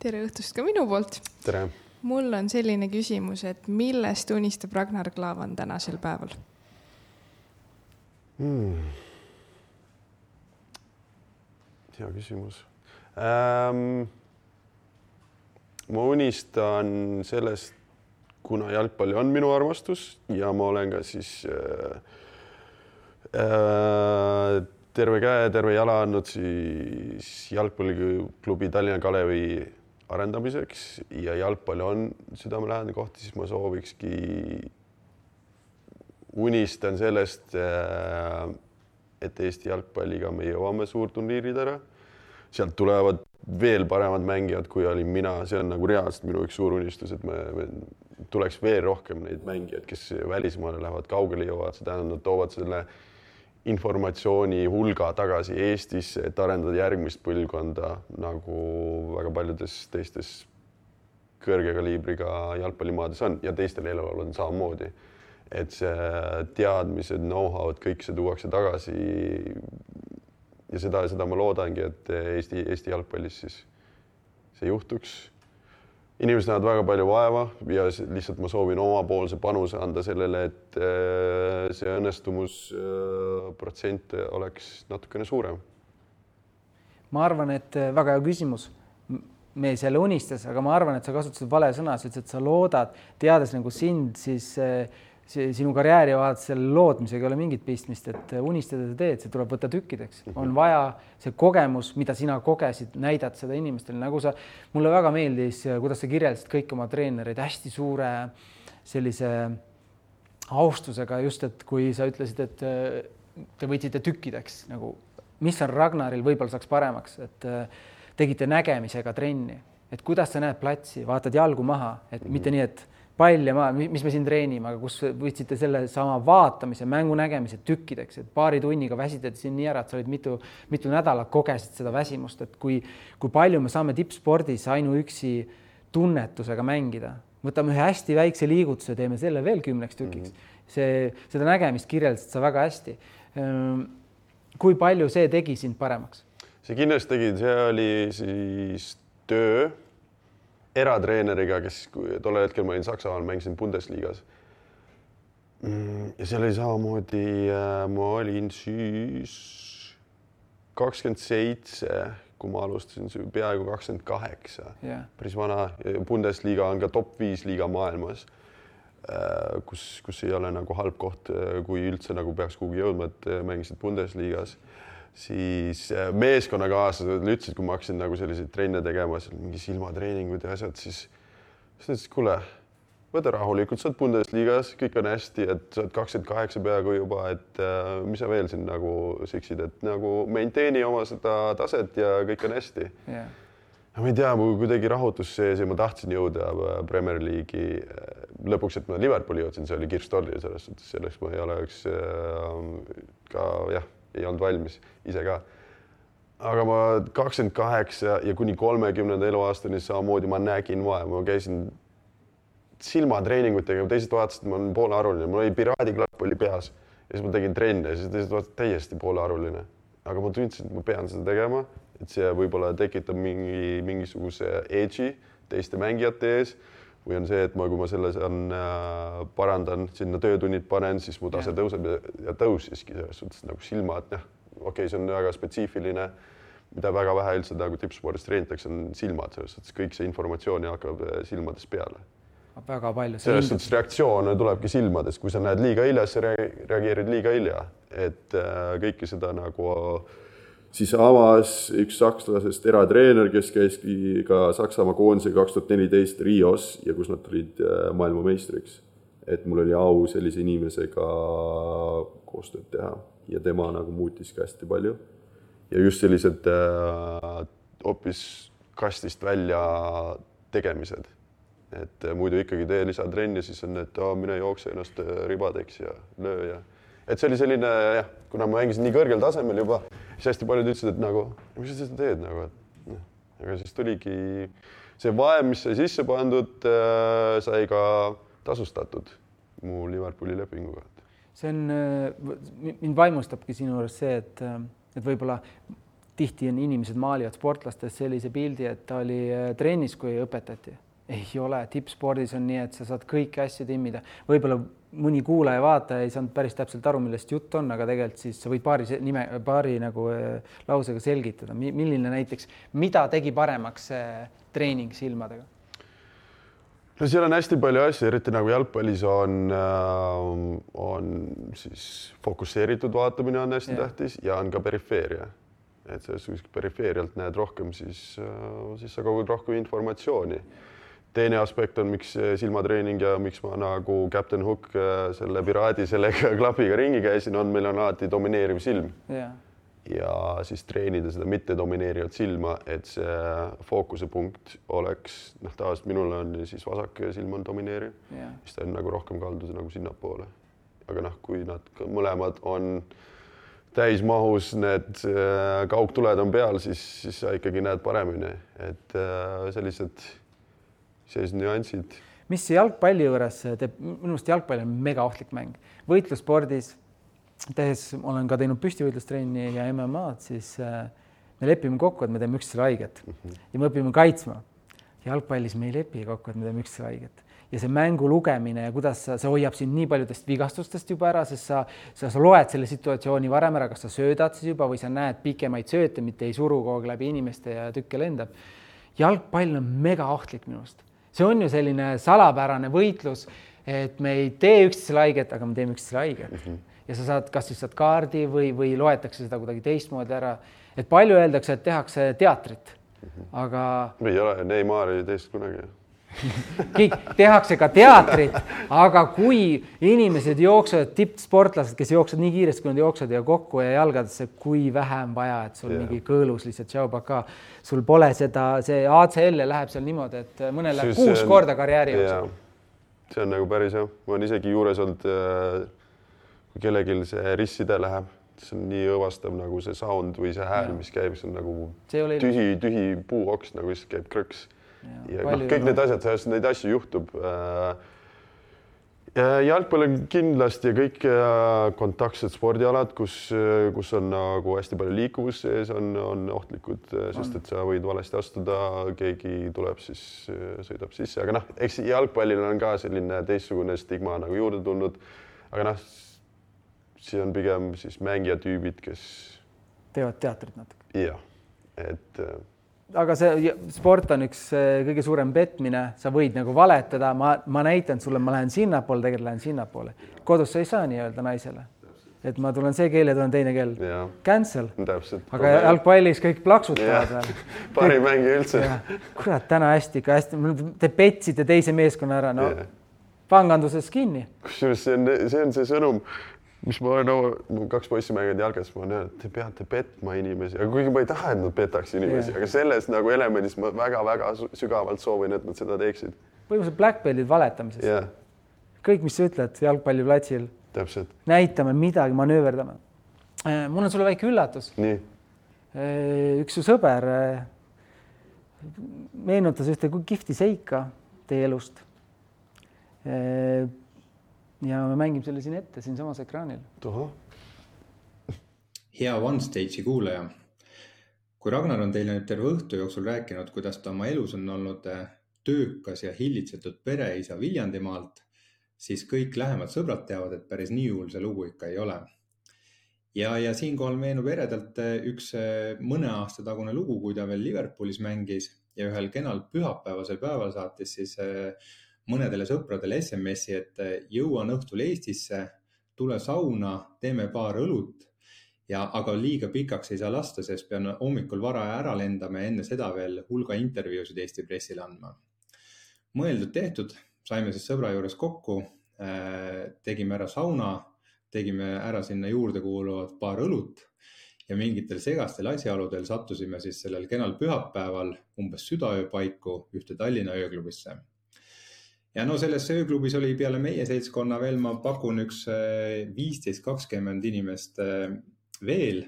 Tere õhtust ka minu poolt. Tere. Mul on selline küsimus, et millest unistab Ragnar Klavan tänasel päeval? Hea küsimus. Ma unistan sellest, kuna jalgpalli on minu armastus ja ma olen ka siis terve käe, terve jala andnud siis jalgpalliklubi Tallinna Kalevi arendamiseks ja jalgpalli on südamelähedane koht, siis ma soovikski, unistan sellest, et Eesti jalgpalliga me jõuame suurturniiridele. Sealt tulevad veel paremad mängijad, kui olin mina. See on nagu reaalselt minu üks suur unistus, et me tuleks veel rohkem neid mängijad, kes välismaale lähevad, kaugele jõuavad. See tähendab, nad toovad selle informatsiooni hulga tagasi Eestisse, et arendada järgmist põlvkonda, nagu väga paljudes teistes kõrge kaliibriga jalgpallimaades on ja teistel eelolevalt on samamoodi. Et see teadmised, know-how, kõik see tuuakse tagasi ja seda ma loodangi, et Eesti jalgpallis siis see juhtuks. Inimesed näevad väga palju vaeva ja lihtsalt ma soovin omapoolse panuse anda sellele, et see õnnestumusprotsent oleks natukene suurem. Ma arvan, et väga hea küsimus. Me selle unistas, aga ma arvan, et sa kasutasid vale sõna, et sa loodad, teades nagu sind, siis sinu karjääri vaadates selle loodmisega ei ole mingit pistmist, et unistada sa teed, see tuleb võtta tükkideks. On vaja see kogemus, mida sina kogesid, näidad seda inimestele. Nagu mulle väga meeldis, kuidas sa kirjeldasid kõik oma treenereid hästi suure sellise austusega just, et kui sa ütlesid, et te võtsite tükkideks, nagu mis on Ragnaril võib-olla saaks paremaks, et tegite nägemisega trenni, et kuidas sa näed platsi, vaatad jalgu maha, et mitte nii, et pall ja maa, mis me siin treenime, aga kus võtsite selle sama vaatamise, mängu nägemise tükkideks, et paari tunniga väsitad siin nii ära, et sa olid mitu nädalat kogesid seda väsimust, et kui palju me saame tippspordis ainuüksi tunnetusega mängida. Võtame ühe hästi väikse liigutuse, teeme selle veel 10 tükiks. Seda nägemist kirjeldasid sa väga hästi. Kui palju see tegi sind paremaks? See kindlasti tegi, see oli siis töö eratreeneriga, kes tolle hetkel ma olin Saksamaal, mängisin Bundesligas. Ja seal oli samamoodi, ma olin siis 27, kui ma alustasin peaaegu 28. Päris vana. Bundesliga on ka top 5 liiga maailmas, kus ei ole nagu halb koht, kui üldse nagu peaks kuhugi jõudma, et mängisid Bundesligas. Siis meeskonnakaaslased ütlesid, kui ma hakkasin nagu selliseid trenne tegema, mingi silmatreeningud ja asjad, siis ütlesid, kuule, võta rahulikult, sa oled Bundesligas, kõik on hästi, et sa oled 28 peaaegu juba, et mis sa veel siin nagu siksid, et nagu maintaini oma seda taset ja kõik on hästi. Ma ei tea, mul kuidagi rahutus sees ja ma tahtsin jõuda Premier League'i. Lõpuks, et ma Liverpooli jõudsin, see oli Kirstolli selles suhtes, selleks ma ei oleks ka, ei olnud valmis ise ka. Aga ma 28 ja kuni 30 eluaastani samamoodi ma nägin vaeva. Ma käisin silmatreeningutega, teised vaatasid, ma olen poolearuline. Mul oli piraadiklapp oli peas ja siis ma tegin trenne ja siis teised vaatasid täiesti poolearuline. Aga ma tundsin, et ma pean seda tegema, et see võib-olla tekitab mingisuguse edge'i teiste mängijate ees või on see, et kui ma selle parandan, sinna töötunnid panen, siis mu tase tõuseb ja tõusiski selles suhtes nagu silmad. Okei, see on väga spetsiifiline, mida väga vähe üldse nagu tippspordis treenitakse, on silmad. Selles suhtes kõik see informatsioon hakkab silmades peale. Väga palju. Selles suhtes reaktsioon tulebki silmades. Kui sa näed liiga hilja, sa reageerid liiga hilja. Et kõike seda nagu siis avas üks sakslasest eratreener, kes käiski ka Saksamaa koondise 2014 Rios ja kus nad tulid maailmameistriks. Et mul oli au sellise inimesega koostööd teha. ja tema nagu muutis ka hästi palju. Ja just sellised hoopis kastist välja tegemised. Et muidu ikkagi tee lisatrenni, siis on, et mine jookse ennast ribadeks ja löö ja... Et see oli selline, jah, kuna ma mängisin nii kõrgel tasemel juba, siis hästi paljud ütlesid, et nagu, mis sa seda teed nagu, et aga siis tuligi see vaev, mis sai sisse pandud, sai ka tasustatud mu Liverpooli lepinguga. See on, mind vaimustabki sinu juures see, et võib-olla tihti on inimesed maalivad sportlastest sellise pildi, et ta oli trennis, kui õpetati. Ei ole, tippspordis on nii, et sa saad kõiki asju timmida. Võib-olla mõni kuulaja vaataja ei saanud päris täpselt aru, millest jutt on, aga tegelikult siis sa võid paari nagu lausega selgitada. Milline näiteks, mida tegi paremaks treening silmadega? No seal on hästi palju asju, eriti nagu jalgpallis on siis fokusseeritud vaatamine on hästi tähtis ja on ka perifeeria. Et selles perifeerialt näed rohkem, siis sa kogud rohkem informatsiooni. Teine aspekt on, miks silmatreening ja miks ma nagu Captain Hook selle piraadi selle klapiga ringi käisin, meil on alati domineeriv silm. Ja siis treenida seda mitte domineerivat silma, et see fookuse punkt oleks, tavaliselt minul on siis vasak silm on domineeriv, siis ta on nagu rohkem kaldus nagu sinnapoole. Aga kui nad mõlemad on täismahus, need kaugtuled on peal, siis sa ikkagi näed paremini, et sellised nüansid. Mis jalgpalli juures teeb, minu arust jalgpall on mega ohtlik mäng. Võitlusspordis tehes, olen ka teinud püstivõitlustrenni ja MMA-d, siis me lepime kokku, et me teeme üksteisele haiget ja me õpime kaitsma. Jalgpallis me ei lepi kokku, et me teeme üksteisele haiget. Ja see mängu lugemine ja kuidas see hoiab sind nii paljudest vigastustest juba ära, sest sa loed selle situatsiooni varem ära, kas sa söödad siis juba või sa näed pikemaid sööte, mitte ei suru kogu läbi inimeste ja tükke lendab. Jalgpall on mega ohtlik minust. See on ju selline salapärane võitlus, et me ei tee üksteisele haiget, aga me teeme üksteisele haiget. Ja sa saad, kas siis saad kaardi või loetakse seda kuidagi teistmoodi ära. Et palju öeldakse, et tehakse teatrit, aga... Ei ole, Neymar ei teist kunagi. Tehakse ka teatrit, aga kui inimesed jooksevad, tippsportlased, kes jooksevad nii kiiresti, kui nad jooksevad ja kokku ja jalgadesse, kui vähem vaja, et sul mingi kõõlus lihtsalt tšaubaka, sul pole seda, see ACL läheb seal niimoodi, et mõnel läheb 6 korda karjääri jooksul. See on nagu päris jah. Ma on isegi juures olnud, kui kellegil see risside läheb, see on nii õvastav nagu see sound või see hääl, mis käib, see on nagu tühi puuoks, nagu siis käib krõks. Ja kõik need asjad, neid asju juhtub. Jalgpall on kindlasti ja kõik kontaktsed spordialad, kus on nagu hästi palju liikuvus sees, on ohtlikud, sest et sa võid valesti astuda, keegi tuleb siis, sõidab sisse. Aga eks jalgpallil on ka selline teistsugune stigma nagu juurde tulnud. Aga see on pigem siis mängijatüübid, kes... Teevad teatrit natuke. Jah, et... Aga see sport on üks kõige suurem petmine, sa võid nagu valetada, ma näitan sulle, ma lähen sinnapoole, tegelikult lähen sinnapoole. Kodus sa ei saa nii öelda naisele, et ma tulen see keel ja tulen teine keel. Cancel. Täpselt. Aga jalgpallis kõik plaksutavad. Parim mängi üldse. Kurat, täna hästi, te petsite teise meeskonna ära, panganduses kinni. Kusjuures see on see sõnum, mis ma olen 2 poissi mänginud jalgas, ma olen öelnud, et te peate petma inimesi, aga kuigi ma ei taha, et nad petaks inimesi, aga selles nagu elemendis ma väga-väga sügavalt soovin, et nad seda teeksid. Põhimõtteliselt blackbeltid valetamises. Kõik, mis sa ütled jalgpalliplatsil, näitame midagi, manööverdame. Mul on sulle väike üllatus. Nii. Üks su sõber meenutas ühte kihvti seika teie elust. Ja me mängime selle siin ette, siin samas ekraanil. Hea OneStage'i kuulaja. Kui Ragnar on teile nüüd terve õhtu jooksul rääkinud, kuidas ta oma elus on olnud töökas ja hillitsetud pereisa Viljandimaalt, siis kõik lähemad sõbrad teavad, et päris nii hull see lugu ikka ei ole. Ja siinkohal meenub eredalt üks mõne aasta tagune lugu, kui ta veel Liverpoolis mängis ja ühel kenal pühapäevasel päeval saatis siis mõnedele sõpradele SMS-i, et jõuan õhtul Eestisse, tule sauna, teeme paar õlut, aga liiga pikaks ei saa lasta, sest pean hommikul vara ära lendama ja enne seda veel hulga intervjuusid Eesti pressile andma. Mõeldud tehtud, saime siis sõbra juures kokku, tegime ära sauna, tegime ära sinna juurde kuuluvad paar õlut ja mingitel segastel asjaoludel sattusime siis sellel kenal pühapäeval umbes südaöö paiku ühte Tallinna ööklubisse. Ja no selles ööklubis oli peale meie seltskonna veel, ma pakun üks 15-20 inimest veel,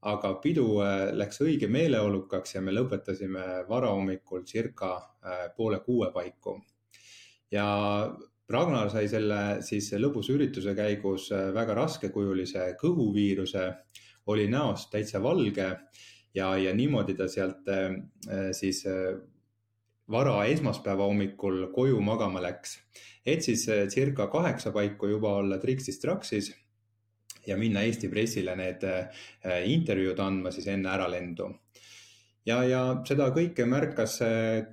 aga pidu läks õige meeleolukaks ja me lõpetasime varahommikul circa 5:30 paiku. Ja Ragnar sai selle siis lõbusa ürituse käigus väga raskekujulise kõhuviiruse, oli näost täitsa valge ja niimoodi ta sealt siis vara esmaspäeva hommikul koju magama läks. Et siis circa 8 paiku juba olla Trixis-Traxis ja minna Eesti pressile need intervjuud andma siis enne äralendu. Ja seda kõike märkas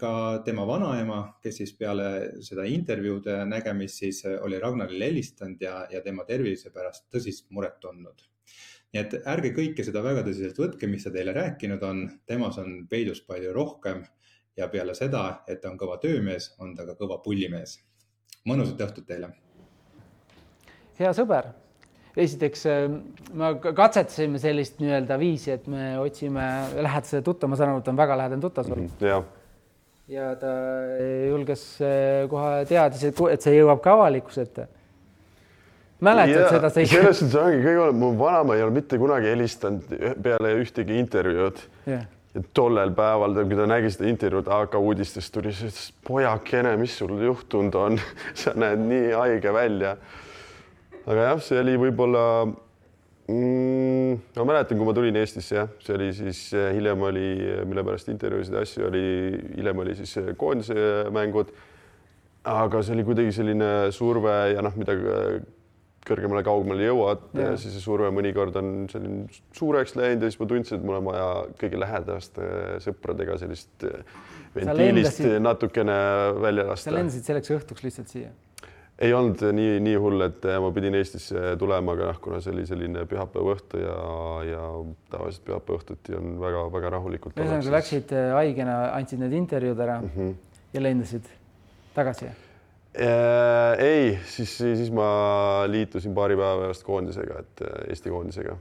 ka tema vanaema, kes siis peale seda intervjuude nägemist siis oli Ragnarile helistanud ja tema tervise pärast tõsist muret tundnud. Nii et ärge kõike seda väga tõsiselt võtke, mis ta teile rääkinud on, temas on peidus palju rohkem ja peale seda, et ta on kõva töömees, on ta ka kõva pullimees. Mõnusat õhtut teile! Hea sõber! Esiteks me katsetasime sellist viisi, et me otsime lähedase tuttav, ma saan aru, et ta on väga lähedane tuttav sul. Ja ta julges kohe teadis, et see jõuab ka avalikkuse ette. Mäletad seda? Selles on ongi kõige olema, mu vanama ei ole mitte kunagi helistanud peale ühtegi intervjuud. Ja tollel päeval, kui ta nägi seda intervjuud AK uudistest, tuli see, pojakene, mis sul juhtunud on? Sa näed nii haige välja. Aga jah, see oli võib-olla, ma mäletan, kui ma tulin Eestisse, see oli siis hiljem oli, mille pärast intervjuusid ja asju oli, hiljem oli siis koondise mängud, aga see oli kuidagi selline surve ja mida kõrgemale kaugemale jõuad ja siis see surve mõnikord on selline suureks läinud ja siis ma tundsin, et mul on vaja kõige lähedaste sõpradega sellist ventiilist natukene välja lasta. Sa lendasid selleks õhtuks lihtsalt siia? Ei olnud nii hull, et ma pidin Eestisse tulema, aga kuna see oli selline pühapäeva õhtu ja tavaliselt pühapäeva õhtuti on väga rahulikult. Sa läksid haigena, andsid need intervjuud ära ja lendasid tagasi? Ei, siis ma liitusin paari päeva pärast koondisega, et Eesti koondisega.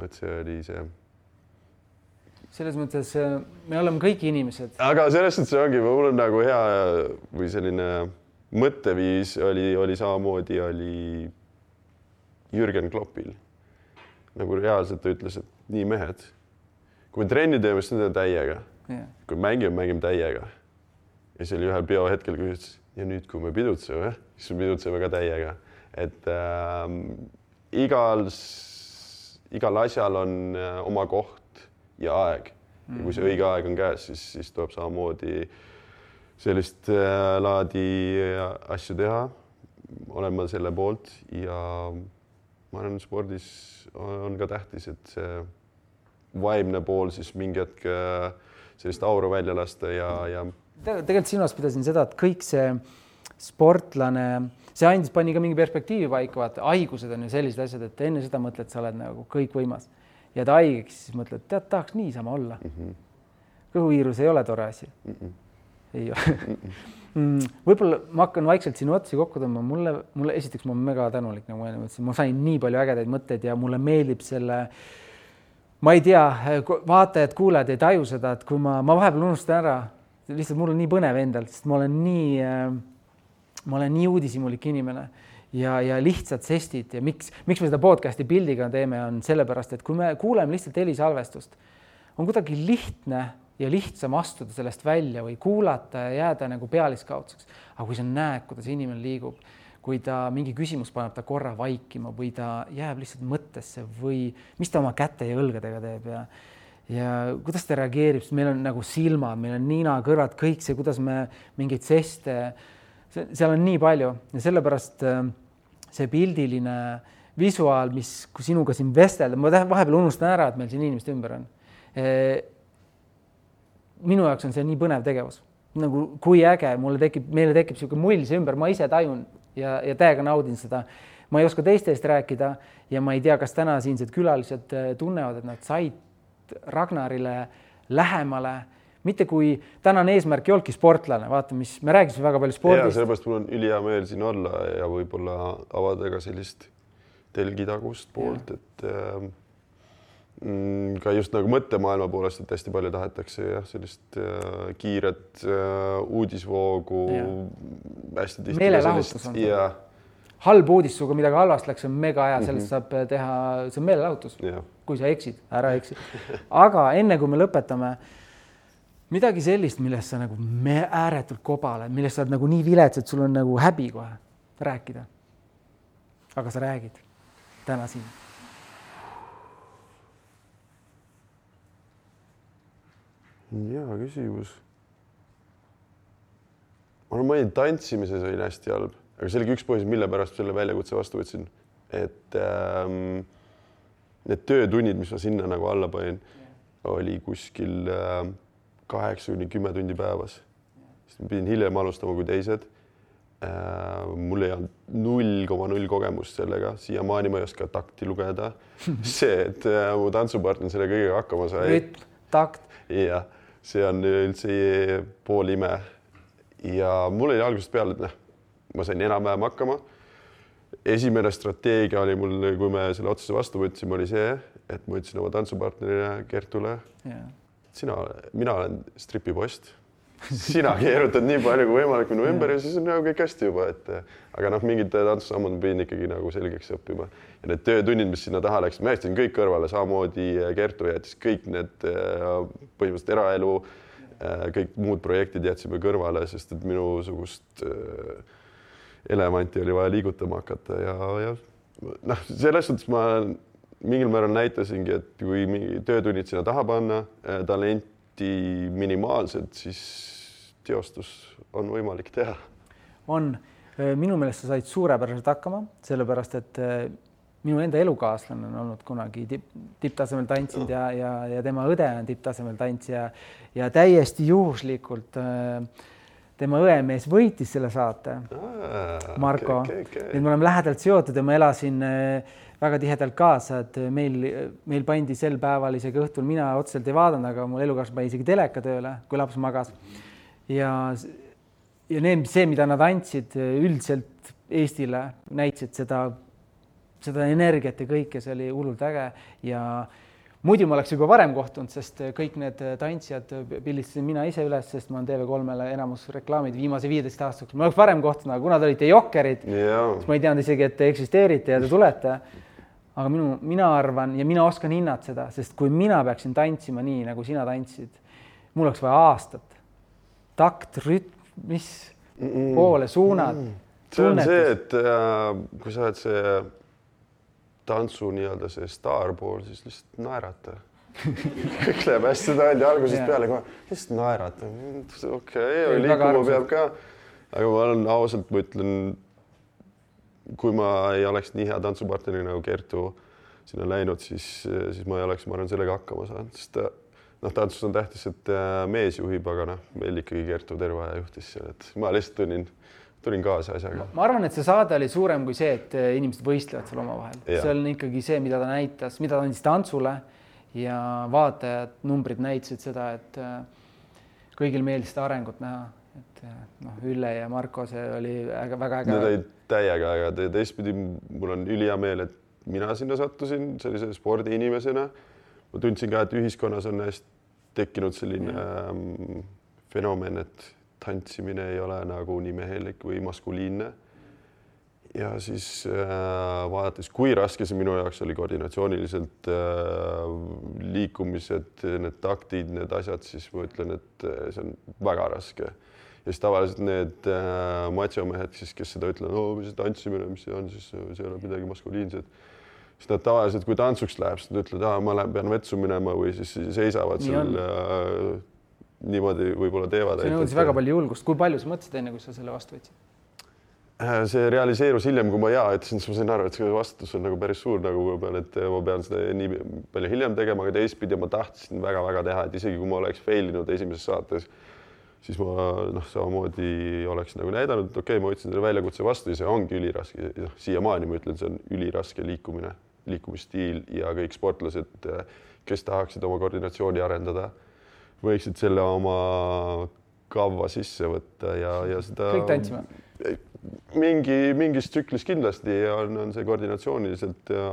Et see oli see. Selles mõttes me oleme kõik inimesed. Aga selles mõttes see ongi, mul on nagu hea või selline mõtteviis oli samamoodi oli Jürgen Kloppil. Nagu reaalselt ta ütles, et nii mehed, kui me trenni teeme, siis teeme täiega. Kui mängime täiega. Ja see oli ühel biohetkel, kui ütles, ja nüüd, kui me pidutseme, siis me pidutseme ka täiega. Et igal asjal on oma koht ja aeg. Ja kui see õige aeg on käes, siis tuleb samamoodi sellist laadi asju teha, olen ma selle poolt ja ma arvan, spordis on ka tähtis, et see vaimne pool siis mingi hetk sellist auru välja lasta ja tegelikult sinuast pidasin seda, et kõik see sportlane, see pani ka mingi perspektiivi paika, vaata, haigused on ju sellised asjad, et enne seda mõtled, et sa oled nagu kõik võimas ja ta haigeks, siis mõtled, tead, tahaks niisama olla. Kõhuviirus ei ole tore asi. Ei ole. Võib-olla ma hakkan vaikselt sinu otsi kokku tõmbama. Mulle esiteks ma olen mega tänulik, nagu ma mõtlesin. Ma sain nii palju ägedaid mõtteid ja mulle meeldib selle, ma ei tea, vaatajad, kuulajad ei taju seda, et kui ma vahepeal unustan ära, lihtsalt mul on nii põnev endalt, sest ma olen nii uudishimulik inimene ja lihtsalt sestid ja miks me seda podcasti pildiga teeme, on sellepärast, et kui me kuuleme lihtsalt helisalvestust, on kuidagi lihtne ja lihtsam astuda sellest välja või kuulata ja jääda nagu pealiskaudseks. Aga kui sa näed, kuidas inimene liigub, kui ta mingi küsimus paneb ta korra vaikima või ta jääb lihtsalt mõttesse või mis ta oma käte ja õlgadega teeb ja kuidas ta reageerib, sest meil on nagu silmad, meil on nina, kõrvad, kõik see, kuidas me mingeid seste, seal on nii palju ja sellepärast see pildiline visuaal, mis kui sinuga siin vestelda, ma vahepeal unustan ära, et meil siin inimeste ümber on. Minu jaoks on see nii põnev tegevus. Nagu kui äge, meile tekib selline mull see ümber, ma ise tajun ja täiega naudin seda. Ma ei oska teistest rääkida ja ma ei tea, kas täna siinsed külalised tunnevad, et nad said Ragnarile lähemale. Mitte kui tänane eesmärk ei olnudki sportlane, vaata, mis me rääkisime väga palju spordist. Ja sellepärast mul on ülihea meel siin olla ja võib-olla avada ka sellist telgitagust poolt, et ka just nagu mõttemaailma poolest, et hästi palju tahetakse jah, sellist kiiret uudisvoogu. Hästi tihti. Meelelahutus on see. Halb uudis, suga midagi halvast läks, on mega hea, sellest saab teha, see on meelelahutus. Kui sa eksid, ära eksi. Aga enne kui me lõpetame, midagi sellist, millest sa nagu ääretult kobale, millest sa oled nagu nii vilets, et sul on nagu häbi kohe rääkida. Aga sa räägid täna siin. Hea küsimus. Ma mõin tantsimises olin hästi halb, aga see oli üks põhjus, mille pärast selle väljakutse vastu võtsin. Et need töötunnid, mis ma sinna nagu alla panin, oli kuskil 8-10 tundi päevas. Siis pidin hiljem alustama kui teised. Mul ei olnud 0,0 kogemust sellega. Siiamaani ma ei oska takti lugeda. See, et mu tantsupartner selle kõigega hakkama sai. Rütm, takt. Ja, see on üldse pool ime. Ja mul oli algusest peale, et ma sain enam-vähem hakkama. Esimene strateegia oli mul, kui me selle otsuse vastu võtsime, oli see, et ma ütlesin oma tantsupartnerile Kertule, mina olen stripipost. Sina keerutad nii palju kui võimalik minu ümber ja siis on nagu kõik hästi juba. Aga mingid tantsusammud pidin ikkagi nagu selgeks õppima. Ja need töötunnid, mis sinna taha läks, ma jätsin kõik kõrvale, samamoodi Kertu jättis kõik need põhimõtteliselt eraelu, kõik muud projektid jätsime kõrvale, sest et minusugust elevanti oli vaja liigutama hakata ja selles suhtes ma mingil määral näitasingi, et kui töötunnid sinna taha panna, talenti minimaalselt, siis teostus on võimalik teha. On. Minu meelest sa said suurepäraselt hakkama, sellepärast, et minu enda elukaaslane on olnud kunagi tipptasemel tantsinud ja tema õde on tipptasemel tantsija ja täiesti juhuslikult tema õemees võitis selle saate, Marko. Nüüd me oleme lähedalt seotud ja ma elasin väga tihedalt kaasa, et meil pandi sel päeval isegi õhtul, mina otseselt ei vaadanud, aga mul elukaaslased pani isegi teleka tööle, kui laps magas. Ja see, mida nad andsid üldiselt Eestile, näitasid seda energiat ja kõike, see oli hullult äge ja muidu ma oleks juba varem kohtunud, sest kõik need tantsijad pildistasin mina ise üles, sest ma olen TV3-le enamus reklaamid viimase 15 aastaks. Ma oleks varem kohtunud, aga kuna te olite jokkerid, siis ma ei teadnud isegi, et te eksisteerite ja te tulete. Aga mina arvan ja mina oskan hinnata seda, sest kui mina peaksin tantsima nii, nagu sina tantsid, mul oleks vaja aastat. Takt, rütm, mis poole, suunad, see on see, et kui sa oled see tantsu nii-öelda see staar pool, siis lihtsalt naerata. Kõik läheb hästi taldi algusest peale, lihtsalt naerata. Okei, liikuma peab ka. Aga ma olen ausalt, ma ütlen, kui ma ei oleks nii hea tantsupartneri nagu Kertu sinna läinud, siis ma ei oleks, ma arvan, sellega hakkama saanud. Sest tantsus on tähtis, et mees juhib, aga meil ikkagi Kertu terve aja juhtis seal. Et ma lihtsalt tulin kaasa asjaga. Ma arvan, et see saade oli suurem kui see, et inimesed võistlevad seal oma vahel. See on ikkagi see, mida ta näitas, mida ta andis tantsule ja vaatajad, numbrid näitasid seda, et kõigil meeldis seda arengut näha. Et Ülle ja Marko, see oli väga äge. Need olid täiega, aga teistpidi mul on ülihea meel, et mina sinna sattusin sellise spordiinimesena. Ma tundsin ka, et ühiskonnas on tekkinud selline fenomen, et tantsimine ei ole nagu nii mehelik või maskuliinne. Ja siis vaadates, kui raske see minu jaoks oli koordinatsiooniliselt liikumised, need taktid, need asjad, siis ma ütlen, et see on väga raske. Ja siis tavaliselt need matsiomehed, kes seda ütlevad, mis see tantsimine, mis see on, siis see ei ole midagi maskuliinset. Siis nad tavaliselt, kui tantsuks läheb, siis nad ütlevad, ma pean vetsu minema või siis seisavad seal niimoodi võib-olla teevad. See nõudis väga palju julgust. Kui palju sa mõtlesid enne, kui sa selle vastu võtsid? See realiseerus hiljem, kui ma ütlesin, siis ma sain aru, et see vastutus on nagu päris suur, et ma pean seda nii palju hiljem tegema, aga teistpidi ma tahtsin väga-väga teha, et isegi kui ma oleks failinud esimeses saates, siis ma samamoodi oleks nagu näidanud, et okei, ma võtsin selle väljakutse vastu ja see ongi üliraske. Siiamaani ma ütlen, see on üliraske liikumine, liikumisstiil ja kõik sportlased, kes tahaksid oma koordinatsiooni arendada, võiksid selle oma kavva sisse võtta ja seda... Kõik tantsime. mingis tsüklis kindlasti on see koordinatsiooniliselt ja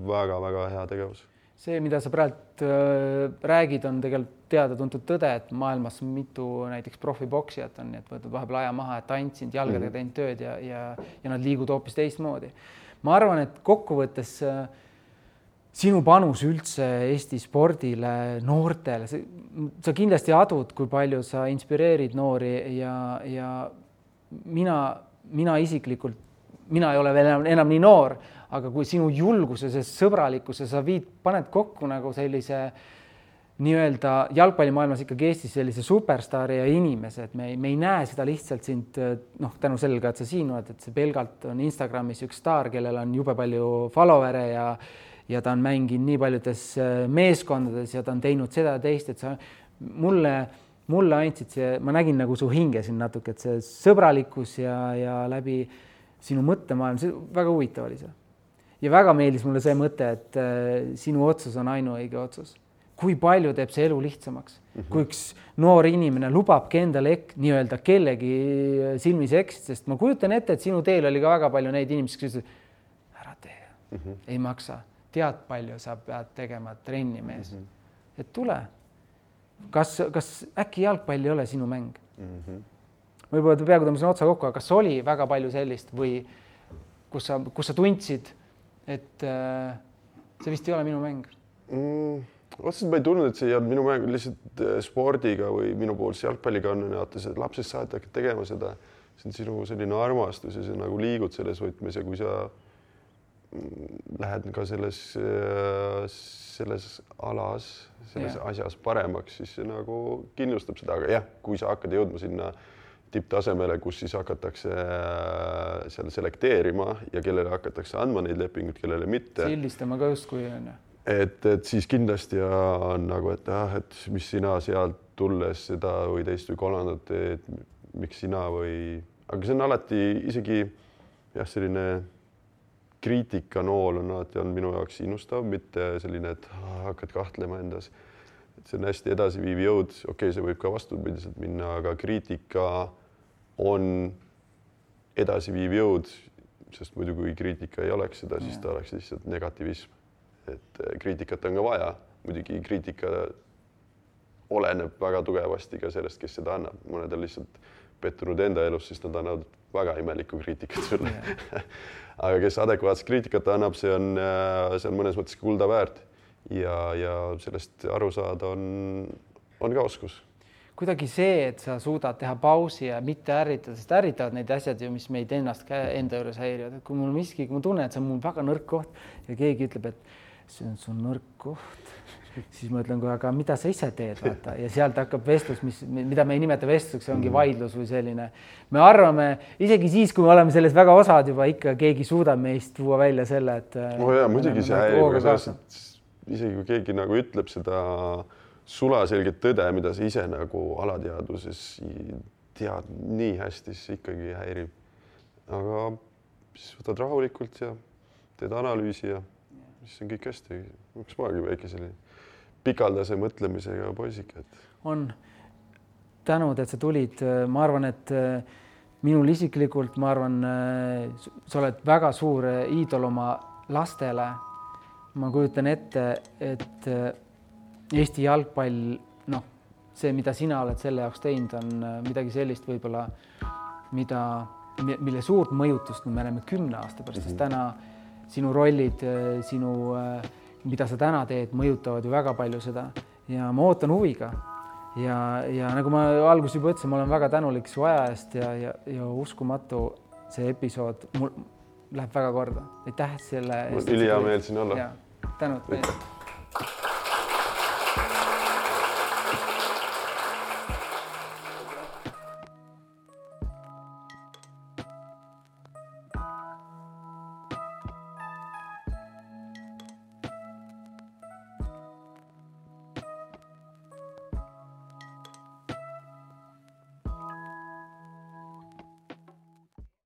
väga-väga hea tegevus. See, mida sa praegu räägid, on tegelikult teada-tuntud tõde, et maailmas mitu näiteks profiboksijat on, nii et võtad vahepeal aja maha, et tantsinud, jalgadega teinud tööd ja nad liigud hoopis teistmoodi. Ma arvan, et kokkuvõttes sinu panus üldse Eesti spordile, noortele, sa kindlasti adud, kui palju sa inspireerid noori ja mina isiklikult, mina ei ole veel enam nii noor, aga kui sinu julguse, see sõbralikkuse sa paned kokku nagu sellise nii-öelda jalgpallimaailmas ikkagi Eestis sellise superstaari ja inimese, et me ei näe seda lihtsalt sind, tänu sellega, et sa siin oled, et see pelgalt on Instagramis üks staar, kellel on jube palju followere ja ta on mänginud nii paljudes meeskondades ja ta on teinud seda ja teist, et sa mulle andsid see, ma nägin nagu su hinge siin natuke, et see sõbralikkus ja läbi sinu mõttemaailm, see väga huvitav oli see. Ja väga meeldis mulle see mõte, et sinu otsus on ainuõige otsus. Kui palju teeb see elu lihtsamaks. Kui üks noor inimene lubabki endale nii-öelda kellegi silmis eksid, sest ma kujutan ette, et sinu teel oli ka väga palju neid inimesi, kes ütlesid, ära tee, ei maksa. Tead palju sa pead tegema trenni mees. Et tule. Kas äkki jalgpall ei ole sinu mäng? Võib-olla peaaegu tõmbasin otsa kokku, aga kas oli väga palju sellist või kus sa tundsid, et see vist ei ole minu mäng? Otseselt ma ei tundnud, et see ei olnud minu mäng, lihtsalt spordiga või minu poolse jalgpalliga on see, et lapsest saad hakkad tegema seda, see on sinu selline armastus ja sa nagu liigud selles võtmes ja kui sa lähed ka selles alas, selles asjas paremaks, siis see nagu kindlustab seda, aga jah, kui sa hakkad jõudma sinna tipptasemele, kus siis hakatakse seal selekteerima ja kellele hakatakse andma neid lepinguid, kellele mitte. Sildistama ka just kui on. Et siis kindlasti on nagu, et mis sina sealt tulles seda või teist või kolmandat teed, miks sina või... Aga see on alati isegi selline kriitikanool on alati on minu jaoks innustav, mitte selline, et hakkad kahtlema endas. Et see on hästi edasiviiv jõud. Okei, see võib ka vastupidiselt minna, aga kriitika on edasiviiv jõud, sest muidu kui kriitika ei oleks seda, siis ta oleks lihtsalt negatiivism. Et kriitikat on ka vaja, muidugi kriitika oleneb väga tugevasti ka sellest, kes seda annab. Mõned on lihtsalt pettunud enda elus, siis nad annavad väga imelikku kriitikat sulle. Aga kes adekvaatset kriitikat annab, see on mõnes mõttes kulda väärt ja sellest aru saada on ka oskus. Kuidagi see, et sa suudad teha pausi ja mitte ärritada, sest ärritavad neid asjad, mis meid ennast enda juures häirivad. Kui mul miski, kui ma tunnen, et see on mul väga nõrk koht ja keegi ütleb, et see on sul nõrk koht, siis ma ütlen kohe, aga mida sa ise teed, vaata. Ja sealt hakkab vestlus, mida me ei nimeta vestluseks, see ongi vaidlus või selline. Me arvame, isegi siis, kui me oleme selles väga osad juba, ikka keegi suudab meist tuua välja selle, et... muidugi see häirib, isegi kui keegi nagu ütleb seda sulaselget tõde, mida sa ise nagu alateadvuses tead nii hästi, siis ikkagi häirib. Aga siis võtad rahulikult ja teed analüüsi ja siis on kõik hästi. Üks maagi väike selline pikaldase mõtlemisega poisik. On tänud, et sa tulid. Ma arvan, et minul isiklikult, ma arvan, sa oled väga suur iidol oma lastele. Ma kujutan ette, et Eesti jalgpall, see, mida sina oled selle jaoks teinud, on midagi sellist võib-olla, mille suurt mõjutust me näeme 10 aasta pärast, sest täna sinu rollid, mida sa täna teed, mõjutavad ju väga palju seda ja ma ootan huviga. Ja nagu ma alguses juba ütlesin, ma olen väga tänulik su aja eest ja uskumatu see episood mul läheb väga korda. Aitäh selle eest. Ülihea meel siin olla. Tänud.